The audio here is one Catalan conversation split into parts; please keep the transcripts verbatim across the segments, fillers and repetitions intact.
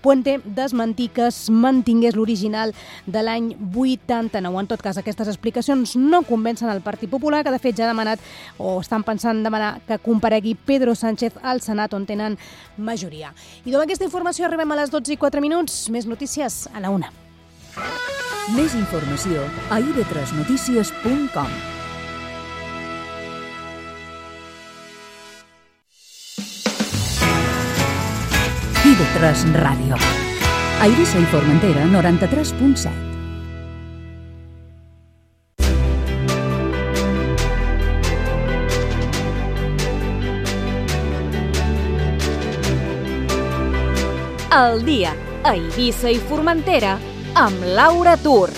Puente desmentir que es mantingués l'original de l'any vuitanta-nou. En tot cas, aquestes explicacions no convencen el Partit Popular, que de fet ja ha demanat o estan pensant demanar que comparegui Pedro Sánchez al Senat, on tenen majoria. I amb aquesta informació arribem a les dotze i quatre minuts. Més notícies a la una. Més informació a i de tres notícies punt com. i de tres Ràdio. A Eivissa i Formentera, noranta-tres punt set. El dia a Eivissa i Formentera amb Laura Tur.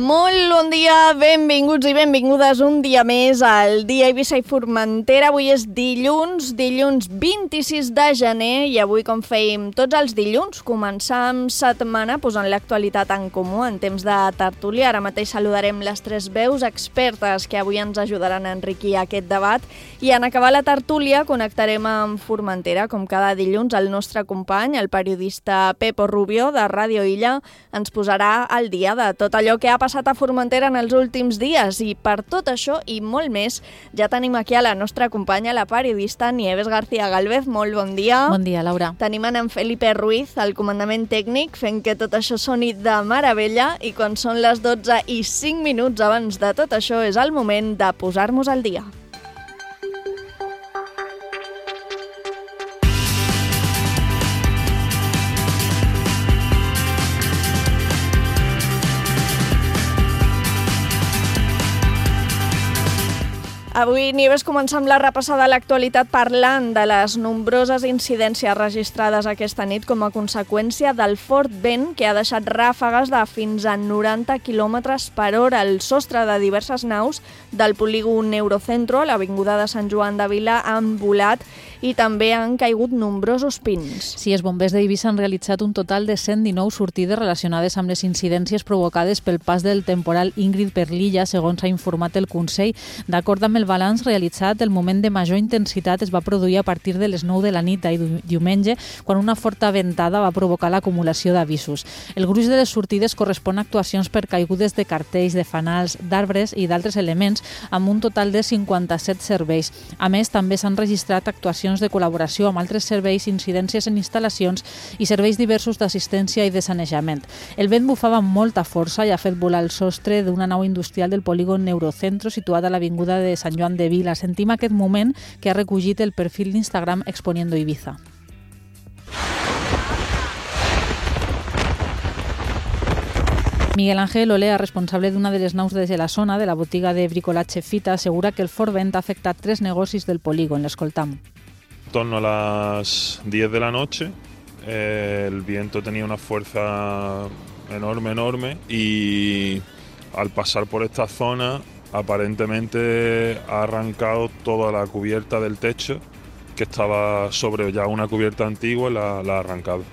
Molt bon dia, benvinguts i benvingudes un dia més al dia Eivissa i Formentera. Avui és dilluns, dilluns vint-i-sis de gener i avui, com fèiem tots els dilluns, començam setmana posant l'actualitat en comú en temps de tertúlia. Ara mateix saludarem les tres veus expertes que avui ens ajudaran a enriquir aquest debat i en acabar la tertúlia connectarem amb Formentera. Com cada dilluns, el nostre company, el periodista Pepo Rubio de Ràdio Illa, ens posarà al dia de tot allò que ha passat a Formentera en els últims dies i per tot això i molt més ja tenim aquí a la nostra companya, la periodista Nieves García Gálvez. Molt bon dia. Bon dia, Laura. Tenim en Felipe Ruiz, al comandament tècnic, fent que tot això soni de meravella i quan són les dotze i cinc minuts abans de tot això és el moment de posar-nos al dia. Avui, Nieves, comencem la repassada de l'actualitat parlant de les nombroses incidències registrades aquesta nit com a conseqüència del fort vent que ha deixat ràfegues de fins a noranta quilòmetres per hora. El sostre de diverses naus del polígon Eurocentro, a l'avinguda de Sant Joan de Vila, han volat i també han caigut nombrosos pins. Sí, els bombers d'Eivissa han realitzat un total de cent dinou sortides relacionades amb les incidències provocades pel pas del temporal Ingrid per l'illa, segons ha informat el Consell. D'acord amb el balanç realitzat, el moment de major intensitat es va produir a partir de les nou de la nit d'ahir diumenge, quan una forta ventada va provocar l'acumulació d'avisos. El gruix de les sortides correspon a actuacions per caigudes de cartells, de fanals, d'arbres i d'altres elements, amb un total de cinquanta-set serveis. A més, també s'han registrat actuacions de col·laboració amb altres serveis, incidències en instal·lacions i serveis diversos d'assistència i de sanejament. El vent bufava amb molta força i ha fet volar el sostre d'una nau industrial del polígon Eurocentro, situat a l'avinguda de Sant Joan de Vila. Sentim aquest moment que ha recollit el perfil d'Instagram Exponiendo Ibiza. Miguel Ángel Olea, responsable d'una de les naus de la zona de la botiga de bricolatge Fita, assegura que el fort vent ha afectat tres negocis del polígon. L'escoltam. En torno a las diez de la noche, eh, el viento tenía una fuerza enorme, enorme, y al pasar por esta zona aparentemente ha arrancado toda la cubierta del techo, que estaba sobre ya una cubierta antigua, y la, la ha arrancado.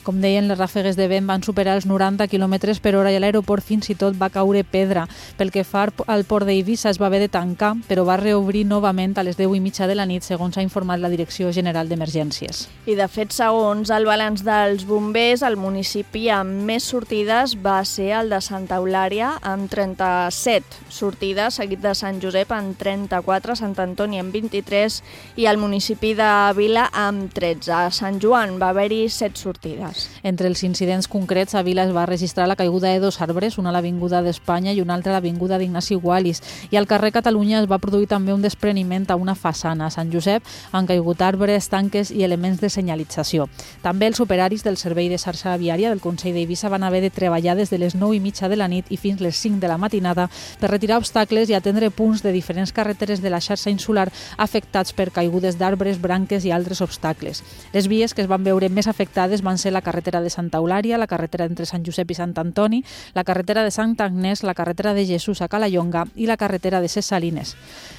Com deien, les ràfegues de vent van superar els noranta quilòmetres per hora i a l'aeroport fins i tot va caure pedra. Pel que fa al port d'Eivissa es va haver de tancar, però va reobrir novament a les deu i mitja de la nit, segons ha informat la Direcció General d'Emergències. I de fet, segons el balanç dels bombers, el municipi amb més sortides va ser el de Santa Eulària, amb trenta-set sortides, seguit de Sant Josep amb trenta-quatre, Sant Antoni amb vint-i-tres i el municipi de Vila amb tretze. A Sant Joan va haver-hi set sortides. Entre els incidents concrets, a Vila es va registrar la caiguda de dos arbres, una a l'Avinguda d'Espanya i una altra a l'Avinguda d'Ignasi Gualis. I al carrer Catalunya es va produir també un despreniment a una façana. A Sant Josep han caigut arbres, tanques i elements de senyalització. També els operaris del Servei de Xarxa Viària del Consell d'Eivissa van haver de treballar des de les nou i mitja de la nit i fins les cinc de la matinada per retirar obstacles i atendre punts de diferents carreteres de la xarxa insular afectats per caigudes d'arbres, branques i altres obstacles. Les vies que es van veure més afectades van ser la carretera de Santa Eulària, la carretera entre Sant Josep i Sant Antoni, la carretera de Sant Agnès, la carretera de Jesús a Calallonga i la carretera de Ses Salines.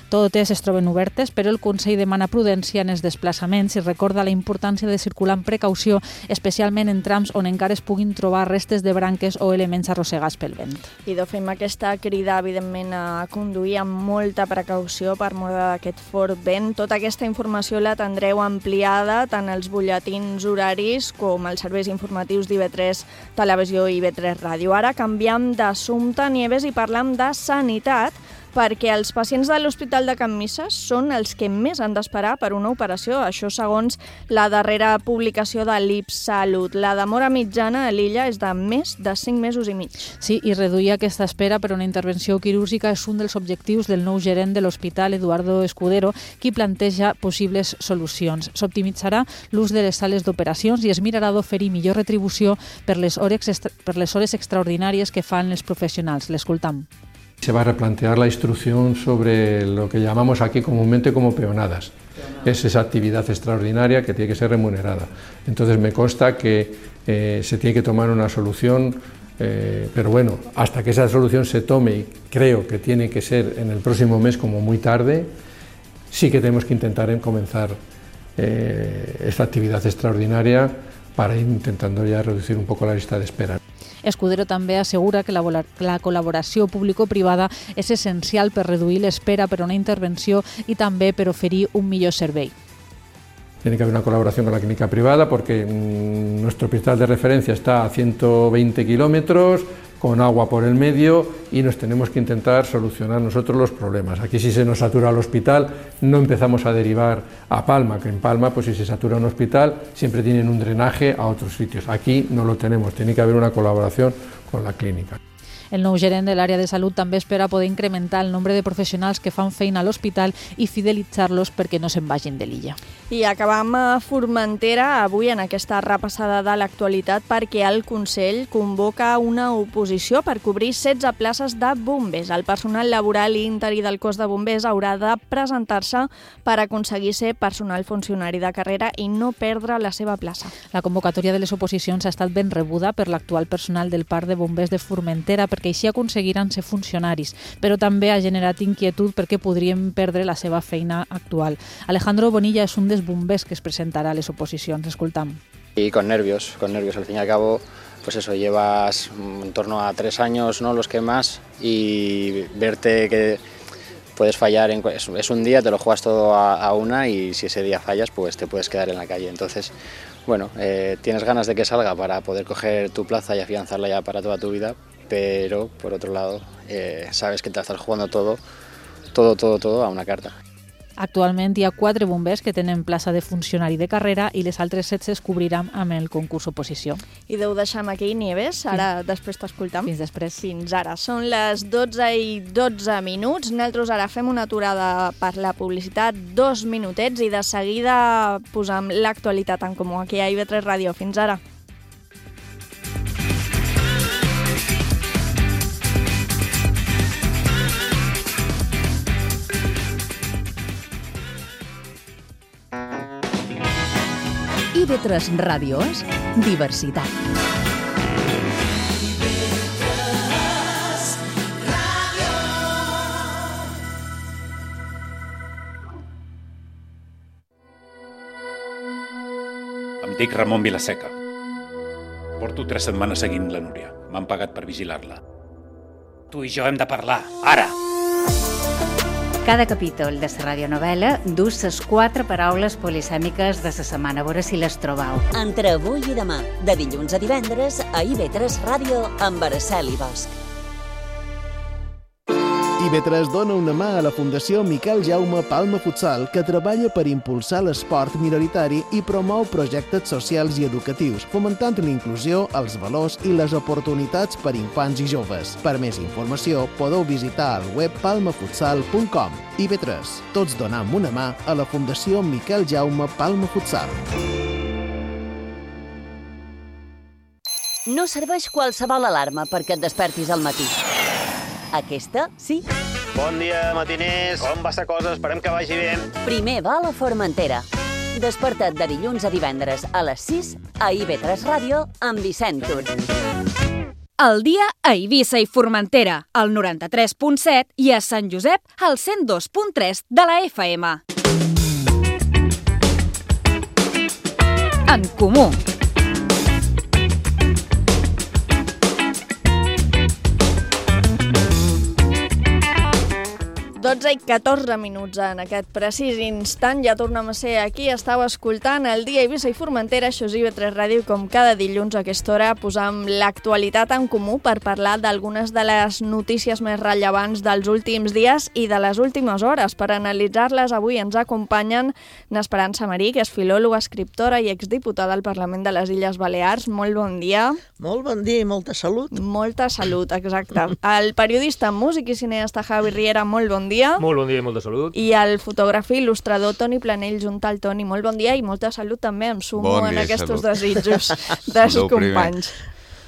Totes es troben obertes, però el Consell demana prudència en els desplaçaments i recorda la importància de circular amb precaució, especialment en trams on encara es puguin trobar restes de branques o elements arrossegats pel vent. I de fem aquesta crida, evidentment, a conduir amb molta precaució per mort d'aquest fort vent. Tota aquesta informació la tindreu ampliada tant als butlletins horaris com als serveis informatius d'I V tres Televisió i I V tres Ràdio. Ara canviem d'assumpte, Nieves, i parlem de sanitat, perquè els pacients de l'Hospital de Can Misses són els que més han d'esperar per una operació, això segons la darrera publicació de l'I P Salut. La demora mitjana a l'illa és de més de cinc mesos i mig. Sí, i reduir aquesta espera per una intervenció quirúrgica és un dels objectius del nou gerent de l'hospital, Eduardo Escudero, qui planteja possibles solucions. S'optimitzarà l'ús de les sales d'operacions i es mirarà d'oferir millor retribució per les hores, extra, per les hores extraordinàries que fan els professionals. L'escoltam. Se va a replantear la instrucción sobre lo que llamamos aquí comúnmente como peonadas. Es esa actividad extraordinaria que tiene que ser remunerada. Entonces me consta que eh, se tiene que tomar una solución, eh, pero bueno, hasta que esa solución se tome, y creo que tiene que ser en el próximo mes como muy tarde, sí que tenemos que intentar en comenzar eh, esta actividad extraordinaria para ir intentando ya reducir un poco la lista de espera. Escudero també assegura que la, la col·laboració público-privada és essencial per reduir l'espera per a una intervenció i també per oferir un millor servei. Tiene que haber una colaboración con la clínica privada porque mmm, nuestro hospital de referencia está a ciento veinte kilómetros, con agua por el medio y nos tenemos que intentar solucionar nosotros los problemas. Aquí si se nos satura el hospital no empezamos a derivar a Palma, que en Palma pues si se satura un hospital siempre tienen un drenaje a otros sitios. Aquí no lo tenemos, tiene que haber una colaboración con la clínica. El nou gerent de l'àrea de salut també espera poder incrementar el nombre de professionals que fan feina a l'hospital i fidelitzar-los perquè no se'n vagin de l'illa. I acabam a Formentera avui en aquesta repassada de l'actualitat perquè el Consell convoca una oposició per cobrir setze places de bombers. El personal laboral i interí del cos de bombers haurà de presentar-se per aconseguir ser personal funcionari de carrera i no perdre la seva plaça. La convocatòria de les oposicions ha estat ben rebuda per l'actual personal del Parc de Bombers de Formentera perquè així aconseguiran ser funcionaris, però també ha generat inquietud perquè podrien perdre la seva feina actual. Alejandro Bonilla és un dels bombers que es presentarà a les oposicions. Escoltam. Y con nervios, con nervios. Al fin y al cabo, pues eso, llevas en torno a tres años, ¿no? Los que más, y verte que puedes fallar, en, es, es un día, te lo juegas todo a, a una y si ese día fallas, pues te puedes quedar en la calle. Entonces, bueno, eh, tienes ganas de que salga para poder coger tu plaza y afianzarla ya para toda tu vida, pero por otro lado eh, sabes que te estás jugando todo, todo, todo, todo a una carta. Actualment hi ha quatre bombers que tenen plaça de funcionari de carrera i les altres setze es cobriran amb el concurs oposició. I deu deixar aquí, Nieves, ara després t'escoltam. Fins després. Fins ara. Són les dotze i dotze minuts. Nosaltres ara fem una aturada per la publicitat, dos minutets, i de seguida posam l'actualitat en comú aquí a I V tres Ràdio. Fins ara. I V tres Ràdio és diversitat. Em dic Ramon Vilaseca. Porto tres setmanes seguint la Núria. M'han pagat per vigilar-la. Tu i jo hem de parlar, ara! Cada capítol de la radionovel·la dus les quatre paraules polisèmiques de la setmana. A veure si les trobeu. Entre avui i demà, de dilluns a divendres, a I V tres Ràdio amb Araceli Bosch. I V tres dona una mà a la Fundació Miquel Jaume Palma Futsal, que treballa per impulsar l'esport minoritari i promou projectes socials i educatius, fomentant l'inclusió, els valors i les oportunitats per infants i joves. Per més informació, podeu visitar el web palma futsal punt com. I V tres, tots donam una mà a la Fundació Miquel Jaume Palma Futsal. No serveix qualsevol alarma perquè et despertis al matí. Aquesta, sí. Bon dia, matiners. Com va la cosa? Esperem que vagi bé. Primer va a la Formentera. Desperta't de dilluns a divendres a les sis a I V tres Ràdio amb Vicent Tur. El dia a Eivissa i Formentera, al noranta-tres punt set, i a Sant Josep, al cent dos punt tres de la F M. En Comú. dotze i catorze minuts en aquest precís instant. Ja tornem a ser aquí. Estau escoltant el dia a Eivissa i Formentera, això és I V tres Ràdio, com cada dilluns a aquesta hora posam l'actualitat en comú per parlar d'algunes de les notícies més rellevants dels últims dies i de les últimes hores. Per analitzar-les avui ens acompanyen n'Esperança Marí, que és filòloga, escriptora i exdiputada al Parlament de les Illes Balears. Molt bon dia. Molt bon dia i molta salut. Molta salut, exacte. El periodista, músic i cineasta Javi Riera, molt bon dia. Molt bon dia i molta salut. I el fotògraf i il·lustrador Toni Planell, juntal Toni, molt bon dia i molta salut també, em sumo bon en aquests desitjos dels companys.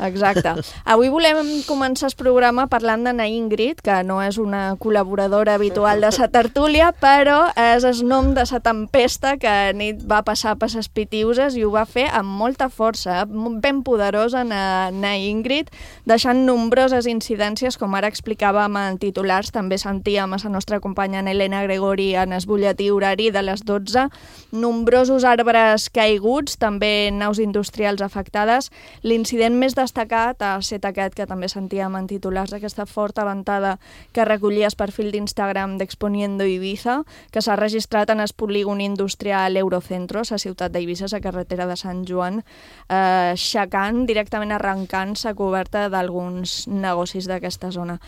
Exacte. Avui volem començar el programa parlant d'Anna Ingrid, que no és una col·laboradora habitual de sa tertúlia, però és el nom de sa tempesta que nit va passar per ses Pitiuses i ho va fer amb molta força, ben poderosa Anna Ingrid, deixant nombroses incidències, com ara explicàvem en titulars, també sentíem a la nostra companya Helena Gregori en el butlletí horari de les dotze, nombrosos arbres caiguts, també naus industrials afectades. L'incident més destacat ha estat aquest que també sentíem en titulars d'aquesta forta ventada que recollia el perfil d'Instagram d'Exponiendo Ibiza, que s'ha registrat en el polígon industrial Eurocentro, a la ciutat d'Eivissa, a la carretera de Sant Joan, eh, aixecant, directament arrencant la coberta d'alguns negocis d'aquesta zona.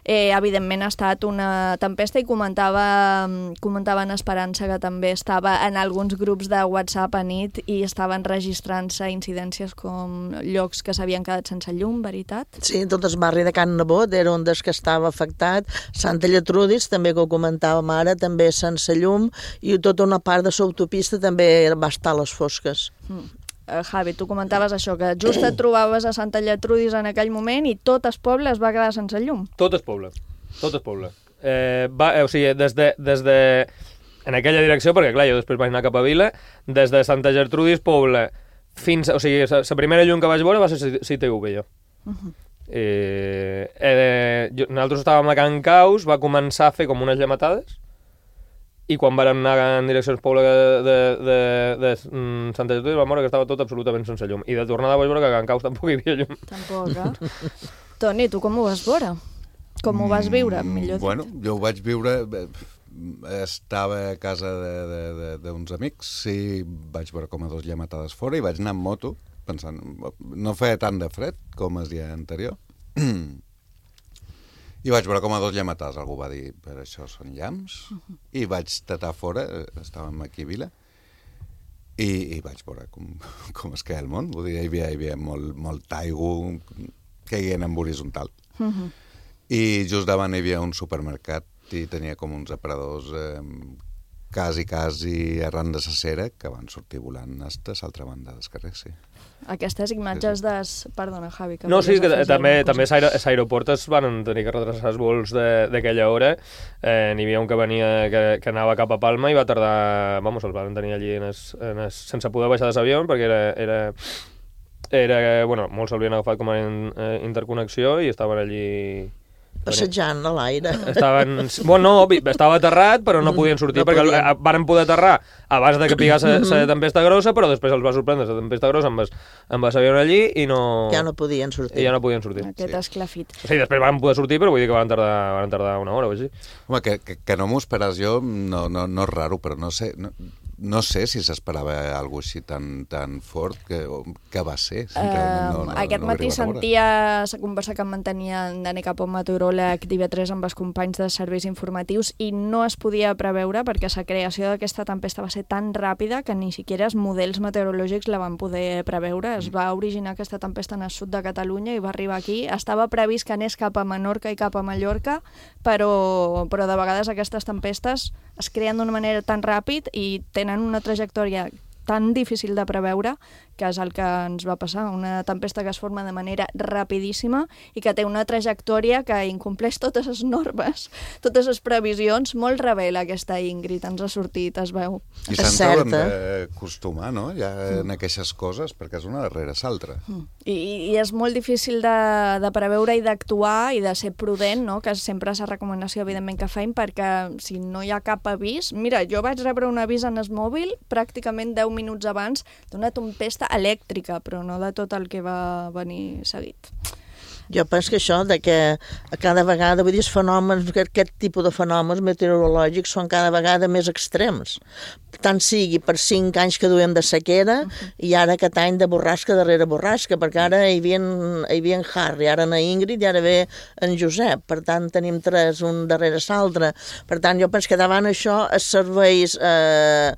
Eh, evidentment ha estat una tempesta i comentava, comentava en Esperança que també estava en alguns grups de WhatsApp a nit i estaven registrant-se incidències com llocs que s'havien quedat sense llum, veritat? Sí, tot el barri de Can Nebot era un dels que estava afectat. Santa Lletrudis, també que ho comentàvem ara, també sense llum, i tota una part de l'autopista també va estar a les fosques. Mm. Uh, Javi, tu comentaves això, que just et trobaves a Santa Lletrudis en aquell moment i tot el poble es va quedar sense llum. Tot el poble, tot el poble. Eh, va, eh, o sigui, des de, des de... En aquella direcció, perquè clar, jo després vaig anar cap a Vila, des de Santa Gertrudis, poble, fins... O sigui, la primera llum que vaig veure va ser C T V, jo. Uh-huh. eh, eh, jo. Nosaltres estàvem a Can Caus, va començar a fer com unes llametades, i quan vam anar en direcció al poble de, de, de, de Santa Gertrudis vam veure que estava tot absolutament sense llum. I de tornada vaig veure que a Can Caus tampoc hi havia llum. Tampoc, eh? Toni, tu com ho vas veure? Com ho vas viure, millor dit? Bueno, jo ho vaig viure... Estava a casa d'uns amics i vaig veure com a dos llametades fora i vaig anar amb moto, pensant... No feia tant de fred com el dia anterior. I vaig veure com a dos llametades, algú va dir, per això són llamps, uh-huh. I vaig tatar fora, estàvem aquí a Vila, i, i vaig veure com, com es queia el món. Vull dir, hi havia, hi havia molt, molt aigua caient en horitzontal. Uh-huh. I just davant hi havia un supermercat i tenia com uns aparadors eh, quasi, quasi arran de la cera que van sortir volant a l'altra banda del carrer, sí. Aquestes imatges de... Perdona, Javi. Que no, sí, que també, també els aeroports es van tenir que retrasar els vols d'aquella hora. Eh, N'hi havia un que venia, que, que anava cap a Palma i va tardar... Vamos, els van tenir allí en es, en es, sense poder baixar de l'avió perquè era... era, era bueno, molts s'havien agafat com a in, interconnexió i estaven allí... Passejant a l'aire. Estaven... Bueno, no, estava aterrat, però no podien sortir, no perquè podien. Varen poder aterrar abans de que pigés la tempesta grossa, però després els va sorprendre la tempesta grossa amb l'avió allí i no... Ja no podien sortir. I ja no podien sortir. Aquest sí. Esclafit. Sí, després van poder sortir, però vull dir que van tardar, van tardar una hora o així. Home, que, que, que no m'ho esperàs jo, no, no, no és raro, però no sé... No... No sé si s'esperava alguna cosa així tan, tan fort que, que va ser. Uh, no, no, aquest no matí sentia la conversa que em mantenia en Dani Capó, meteoròleg d'I V tres amb els companys de serveis informatius i no es podia preveure perquè la creació d'aquesta tempesta va ser tan ràpida que ni siquiera els models meteorològics la van poder preveure. Es va originar aquesta tempesta en el sud de Catalunya i va arribar aquí. Estava previst que anés cap a Menorca i cap a Mallorca, però, però de vegades aquestes tempestes es creen d'una manera tan ràpid i tenen una trajectòria tan difícil de preveure, que és el que ens va passar, una tempesta que es forma de manera rapidíssima i que té una trajectòria que incompleix totes les normes, totes les previsions. Molt rebel aquesta Ingrid, ens ha sortit, es veu. I se'n troben d'acostumar, no?, ja en aquestes coses, perquè és una darrere l'altra. I, I és molt difícil de, de preveure i d'actuar i de ser prudent, no?, que sempre és la recomanació, evidentment, que feim, perquè si no hi ha cap avís... Mira, jo vaig rebre un avís en el mòbil pràcticament deu minuts abans d'una tempesta elèctrica, però no de tot el que va venir seguit. Jo penso que això, de que cada vegada, vull dir, els fenòmens, aquest tipus de fenòmens meteorològics són cada vegada més extrems. Tant sigui per cinc anys que duem de sequera i ara aquest any de borrasca darrere borrasca, perquè ara hi havia, hi havia en Harry, ara en Ingrid i ara ve en Josep. Per tant, tenim tres, un darrere l'altre. Per tant, jo penso que davant això els serveis, eh,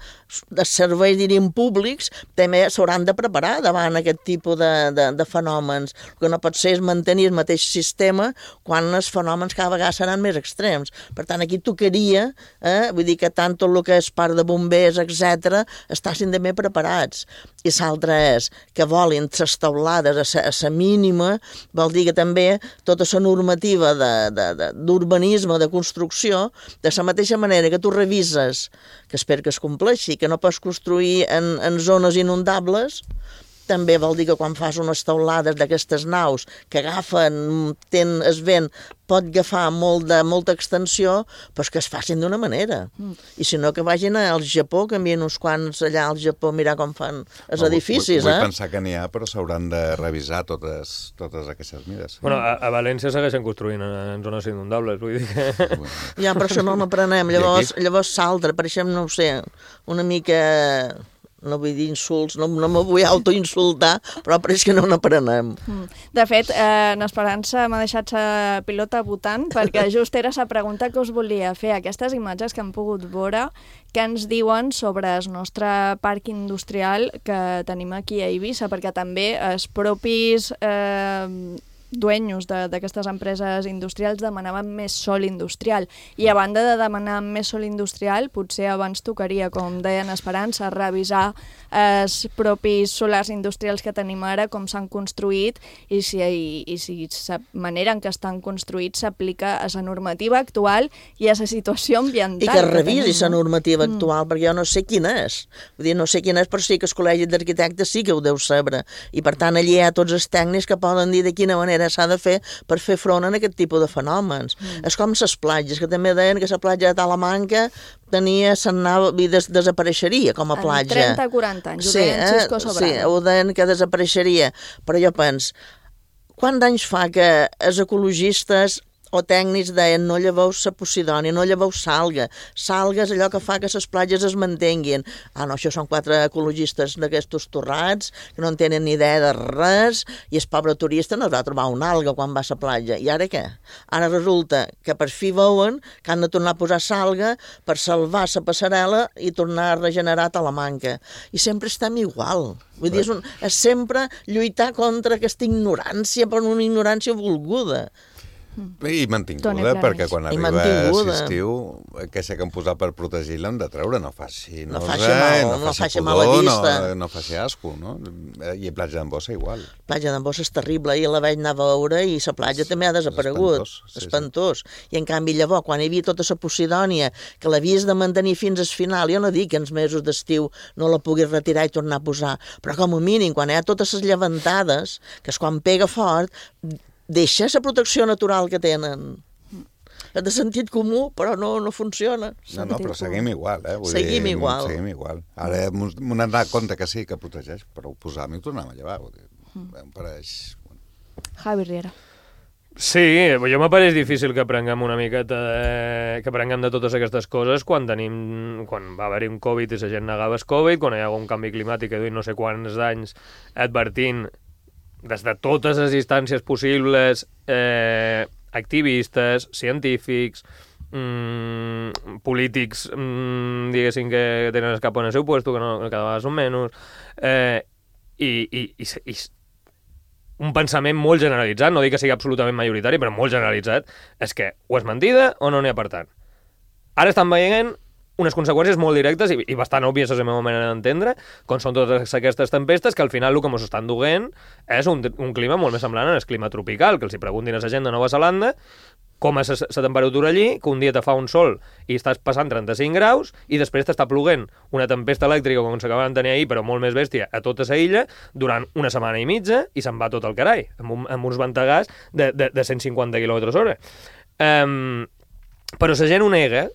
els serveis, diríem, públics també s'hauran de preparar davant aquest tipus de, de, de fenòmens. El que no pot ser és mantenir el mateix sistema quan els fenòmens cada vegada seran més extrems. Per tant, aquí tocaria, eh, vull dir que tant tot el que és part de bombers, etcètera, estassin també preparats. I l'altre és que volin les teulades a la mínima, vol dir que també tota la normativa d'urbanisme, de, de, de construcció, de la mateixa manera que tu revises, que espero que es compleixi, que no pots construir en, en zones inundables, també vol dir que quan fas unes teulades d'aquestes naus que agafen, ten, es vent, pot agafar molt de, molta extensió, però que es facin d'una manera. Mm. I si no, que vagin al Japó, que envien uns quants allà al Japó a mirar com fan els no, edificis. Vull, vull eh? pensar que n'hi ha, però s'hauran de revisar totes, totes aquestes mides. Bueno, a, a València segueixen construint en zones inundables, vull dir que... Ja, per això no n'aprenem. Llavors, llavors s'altre, per això, no ho sé, una mica... no vull dir insults, no, no me vull autoinsultar, però pareix que no n'aprenem. De fet, eh, en Esperança m'ha deixat la pilota votant, perquè just era la pregunta que us volia fer. Aquestes imatges que hem pogut veure, què ens diuen sobre el nostre parc industrial que tenim aquí a Eivissa, perquè també els propis... Eh, dueños d'aquestes empreses industrials demanaven més sòl industrial i a banda de demanar més sòl industrial potser abans tocaria, com deien Esperança, revisar els propis solars industrials que tenim ara, com s'han construït i si, i, i si la manera en què estan construïts s'aplica a la normativa actual i a la situació ambiental. I que revisi la normativa actual, mm. perquè jo no sé quina és. Vull dir, no sé quina és, però sí que el Col·legi d'Arquitectes sí que ho deu saber. I per tant allí hi ha tots els tècnics que poden dir de quina manera s'ha de fer per fer front a aquest tipus de fenòmens. Mm. És com les platges, que també deien que la platja de Talamanca tenia, s'anava, des, desapareixeria com a platja. En trenta quaranta anys, ho sí, deien Xisco Sobrado. Sí, ho deien que desapareixeria. Però jo penso, quants anys fa que els ecologistes o tècnics deien no lleveu la posidònia, no lleveu salga. Salga és allò que fa que les platges es mantenguin. Ah, no, això són quatre ecologistes d'aquestos torrats que no en tenen ni idea de res i el pobre turista no va trobar una alga quan va a la platja. I ara què? Ara resulta que per fi veuen que han de tornar a posar salga per salvar la passarel·la i tornar a regenerar Talamanca. I sempre estem igual. Vull dir, és, un, és sempre lluitar contra aquesta ignorància, per una ignorància volguda. I mantinguda, perquè quan arriba l'estiu, aquesta que han posat per protegir-la hem de treure, no faci no faci mal, no, no faci mal a vista. No, no faci asco, no? I platja d'en Bossa igual. Platja d'en Bossa és terrible, i la vaig anar a veure i la platja també ha desaparegut. Espantós. Sí, espantós. Sí. I en canvi llavors, quan hi havia tota la Posidònia, que l'havies de mantenir fins al final, jo no dic que en els mesos d'estiu no la puguis retirar i tornar a posar, però com a mínim, quan hi ha totes les llevantades, que és quan pega fort, deixa la protecció natural que tenen. És de sentit comú, però no, no funciona. No, no, però seguim igual, eh? Vull seguim dir, igual. Seguim igual. Ara m'he donat compte que sí, que protegeix, però posar-m'hi i tornar-me a llevar. Vull dir, em pareix... Javi Riera. Sí, jo m'apareix difícil que prenguem una miqueta de... que prenguem de totes aquestes coses quan tenim... quan va haver-hi un Covid i la gent negava el Covid, quan hi ha un canvi climàtic que duim no sé quants anys advertint des de totes les instàncies possibles, eh, activistes, científics, mmm, polítics, mmm, diguéssim, que tenen el cap en el seu puesto, que, no, que cada vegada són menys, eh, i, i, i, i un pensament molt generalitzat, no dic que sigui absolutament majoritari, però molt generalitzat, és que o és mentida o no n'hi ha per tant. Ara estan veient unes conseqüències molt directes i, i bastant òbvies a la meva manera d'entendre, com són totes aquestes tempestes, que al final el que ens estan duent és un, un clima molt més semblant al clima tropical, que els hi preguntin a la gent de Nova Zelanda com és la temperatura allí, que un dia te fa un sol i estàs passant trenta-cinc graus i després t'està ploguent una tempesta elèctrica com s'acaben de tenir ahir, però molt més bèstia, a tota la illa durant una setmana i mitja i se'n va tot el carai, amb, un, amb uns ventegars de, de, de cent cinquanta quilòmetres hora. Um, però la gent ho nega.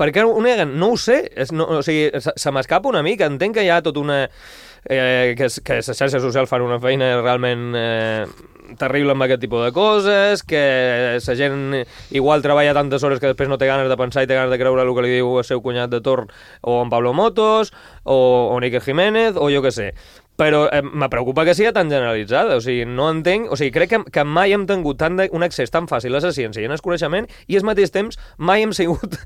Per què ho neguen? No ho sé. És, no, o sigui, se, se m'escapa una mica. Entenc que hi ha tot una... Eh, que, que les xarxes socials fan una feina realment eh, terrible amb aquest tipus de coses, que la gent igual treballa tantes hores que després no té ganes de pensar i té ganes de creure el que li diu el seu cunyat de torn o en Pablo Motos o, o Níker Jiménez o jo què sé. Però eh, me preocupa que sigui tan generalitzada, o sigui, no entenc, o sigui, crec que, que mai hem tingut tant de, un accés tan fàcil a la ciència i al coneixement i al mateix temps mai hem sigut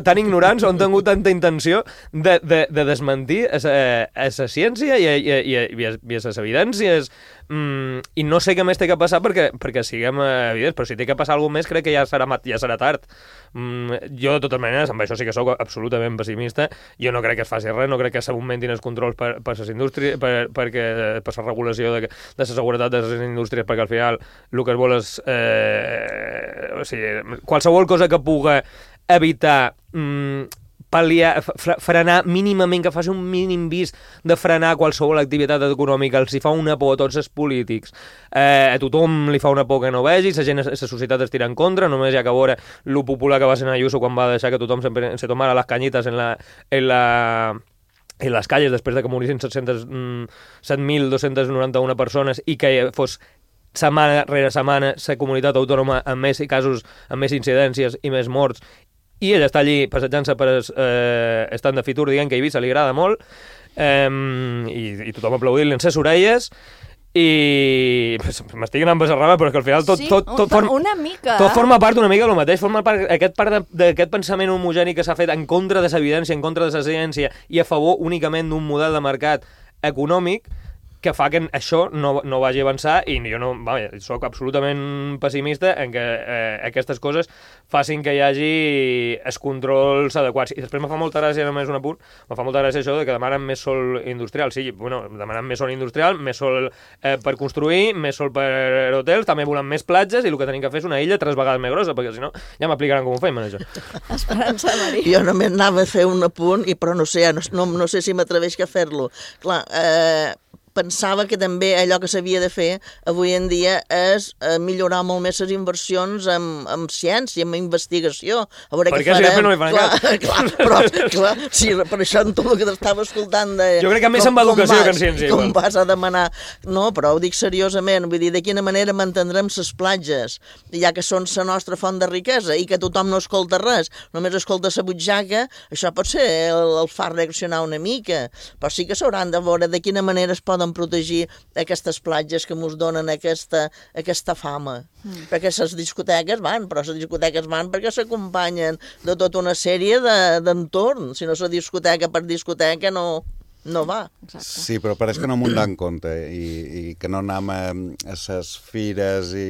tan ignorants o hem tingut tanta intenció de, de, de desmentir a la ciència i a, i a, i a, i a, i a les evidències. Mm, i no sé què més té que passar perquè, perquè siguem evidents, però si té que passar alguna més crec que ja serà, ja serà tard. Mm, jo de totes maneres, amb això sí que sóc absolutament pessimista, jo no crec que es faci res, no crec que s'augmentin els controls per, per les indústries, per, perquè, per la regulació de, de la seguretat de les indústries, perquè al final el que es vol és eh, o sigui, qualsevol cosa que puga evitar mm, pal·liar, frenar mínimament, que faci un mínim vist de frenar qualsevol activitat econòmica, els hi fa una por a tots els polítics, eh, a tothom li fa una por que no vegi, la gent, la societat es tira en contra, només hi ha que veure lo popular que va ser Ayuso quan va deixar que tothom sempre se tomara les canyites en la... En la en les calles després de que morissin set mil dos-cents noranta-una persones i que fos setmana rere setmana la comunitat autònoma amb més casos, amb més incidències i més morts, i ell està allí passejant-se per eh, estant de Fitur dient que a Eivissa li agrada molt eh, i, i tothom aplaudint-li en ses orelles i m'estic anant per la rama, però és que al final tot, sí, tot, tot, form, una mica. tot forma part una mica del mateix, forma part aquest part d'aquest pensament homogeni que s'ha fet en contra de l'evidència, en contra de la ciència i a favor únicament d'un model de mercat econòmic que fa que això no, no vagi a avançar i jo no, vaja, soc absolutament pessimista en que eh, aquestes coses facin que hi hagi els controls adequats. I després me fa molta gràcia, només un apunt, me fa molta gràcia això de que demanen més sol industrial. Sí, bueno, demanen més sol industrial, més sol eh, per construir, més sol per hotels, també volen més platges i el que tenim que fer és una illa tres vegades més grossa, perquè si no ja m'aplicaran com ho fem, això. Esperança Marí. Jo només anava a fer un apunt, i però no sé, no, no, no sé si m'atreveix a fer-lo. Clar, eh, pensava que també allò que s'havia de fer avui en dia és eh, millorar molt més les inversions en, en ciència, en investigació. A veure per què farem. Si després no li fan clar, clar, però, clar, sí, per això en tot el que t'estava escoltant de... Jo crec que més amb educació que en ciència. Com igual. vas a demanar... No, però ho dic seriosament, vull dir, de quina manera mantindrem les platges, ja que són la nostra font de riquesa i que tothom no escolta res, només escolta la butxaca, això pot ser el, el far reaccionar una mica, però sí que s'hauran de veure de quina manera es poden protegir aquestes platges que ens donen aquesta, aquesta fama. Mm. Perquè les discoteques van, però les discoteques van perquè s'acompanyen de tota una sèrie d'entorns. Si no la discoteca per discoteca no... no va. Exacte. Sí, però pareix que no m'ho dan compte i, i que no anem a les fires i,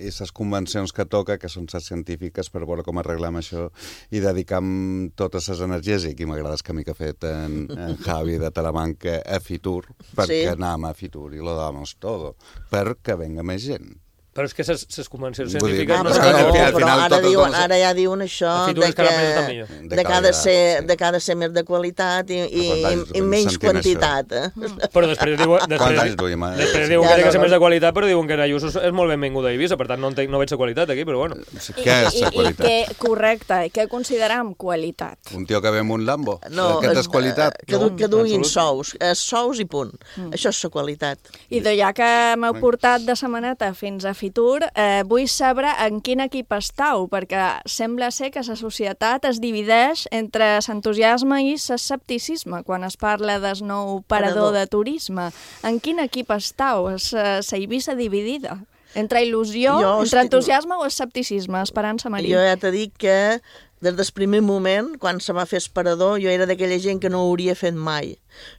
i les convencions que toca, que són les científiques, per veure com arreglem això i dedicam totes les energies, i aquí m'agrada el camí que ha fet en, en Javi de Talamanca a Fitur, perquè sí. Anem a Fitur i lo damos todo, perquè venga més gent. Però és que les convencions Vull dir, científiques... Ah, no però, al no, final però ara, tot- diuen, tot- ara ja diuen això A Fitur de és que que, la presa també. De de, cada qualitat, ser, sí. de cada ser més de qualitat i, i, Però quants anys i, i duim menys sentint quantitat. Eh? Però després diuen, Quants després, anys duim, eh? després Sí. diuen Ja, que ha de no, ser no. més de qualitat, però diuen que Ayuso és molt benvinguda a Eivissa, per tant no, entenc, no veig la qualitat aquí, però bueno. Què és I, la i, qualitat? i què, correcte, i què consideram qualitat? Un tio que ve amb un Lambo? No, Aquest és qualitat? Que, du, que duguin absolut. sous, eh, sous i punt. Mm. Això és la qualitat. I de ja que m'heu portat de setmaneta fins a Fitur, eh, vull saber en quin equip estàu, perquè sembla ser que la societat es divideix entre l'entusiasme i l'escepticisme quan es parla del nou parador Parador. de turisme. En quin equip estàu? És la Eivissa dividida? Entre il·lusió, Jo entre estic- entusiasme o escepticisme? Esperança Marí. Jo ja t'he dit que des del primer moment, quan se m'ha fet esparador, jo era d'aquella gent que no ho hauria fet mai.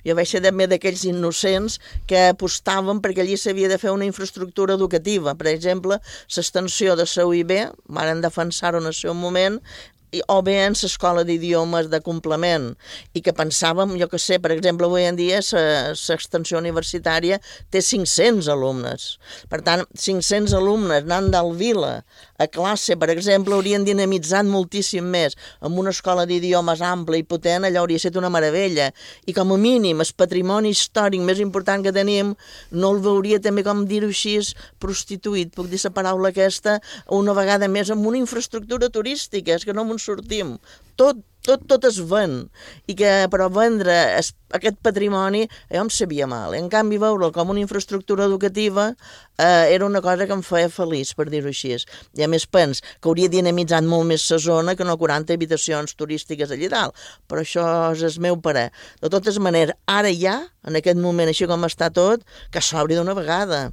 Jo vaig ser també d'aquells innocents que apostaven perquè allí s'havia de fer una infraestructura educativa. Per exemple, l'extensió de la U I B, varen defensar-ho en el seu moment, o bé en l'escola d'idiomes de complement, i que pensàvem, jo que sé, per exemple, avui en dia l'extensió universitària té cinc-cents alumnes. Per tant, cinc-cents alumnes anant del Vila a classe, per exemple, haurien dinamitzat moltíssim més. Amb una escola d'idiomes ampla i potent, allò hauria estat una meravella. I com a mínim, el patrimoni històric més important que tenim no el veuria també, com dir-ho així, prostituït, puc dir la paraula aquesta, una vegada més amb una infraestructura turística, és que no me'n sortim. Tot, tot, tot es ven. I que, però vendre es, aquest patrimoni, jo em sabia mal. En canvi, veure'l com una infraestructura educativa eh, era una cosa que em feia feliç, per dir-ho així. I a més pens que hauria dinamitzat molt més la zona que no quaranta habitacions turístiques allà dalt. Però això és el meu parer. De totes maneres, ara ja, en aquest moment, així com està tot, que s'obri d'una vegada.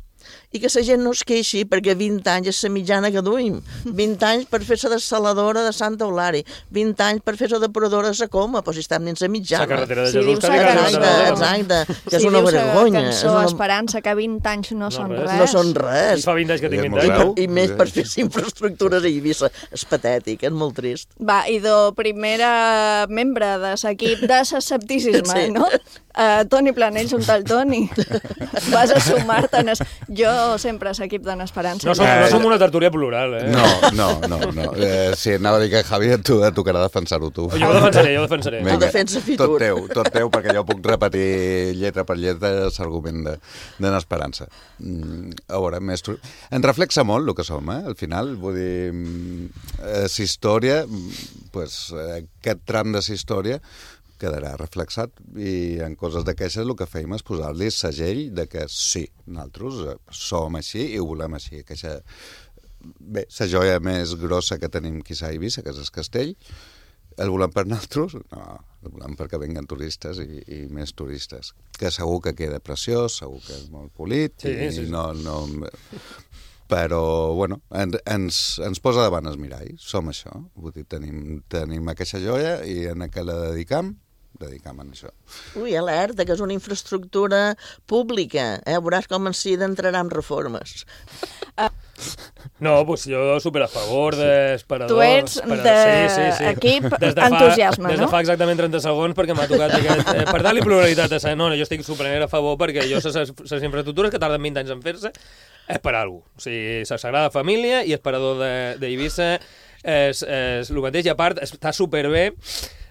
I que la gent no es queixi, perquè vint anys és la mitjana que duim. vint anys per fer la dessaladora de Santa Eulària, vint anys per fer la depuradora de la Coma, però si estem dins la mitjana. La carretera de Si Jesús, dius que la exacte, exacte, que és si una dius vergonya. la És cançó una... Esperança, que vint anys no, són res. No són res. Fa vint anys que tinc vint I, anys. I més per fer infraestructures a Eivissa. És patètic, és molt trist. Va, i de primera membre de l'equip de l'escepticisme, Sí. no? Uh, Toni Planell, junt al Toni. Vas a sumar-te. En es... Jo sempre a l'equip de l'Esperança. No som, no som una tertúlia plural, eh? No, no, no. no. Eh, sí, anava a dir que, Javi, tu et tocarà defensar-ho tu. Jo ho defensaré, jo ho defensaré. Vinga, El defensa fitur. tot teu, tot teu, perquè jo puc repetir lletra per lletra l'argument de, de l'Esperança. Mm, a veure, més... tru- En reflexa molt el que som, eh? Al final, vull dir, mm, eh, la història, mm, pues, eh, aquest tram de la història quedarà reflexat, i en coses d'aquestes el que fèiem és posar-li segell de que sí, nosaltres eh, som així i ho volem així. Aquesta, bé, la joia més grossa que tenim quizà a Eivissa, que és el castell, el volem per nosaltres? No, el volem perquè venguen turistes i, i més turistes. Que segur que queda preciós, segur que és molt polit, Sí, i sí, sí. no... no però, bueno, en, ens, ens posa davant el mirall, som això. Vull dir, tenim, tenim aquesta joia i en què la dedicam, dedicam a això. Ui, alerta, que és una infraestructura pública. Eh? Veuràs com en si entrarà en reformes. No, doncs jo super a favor d'esperadors. Tu ets d'equip entusiasme, Des de no? fa exactament trenta segons, perquè m'ha tocat aquest... Eh, per dar-li pluralitat a sa... No, no, jo estic super a favor, perquè jo les infraestructures que tarden vint anys en fer-se és per alguna cosa. O sigui, la Sagrada Família i Esperador d'Eivissa és, és el mateix, i a part està superbé.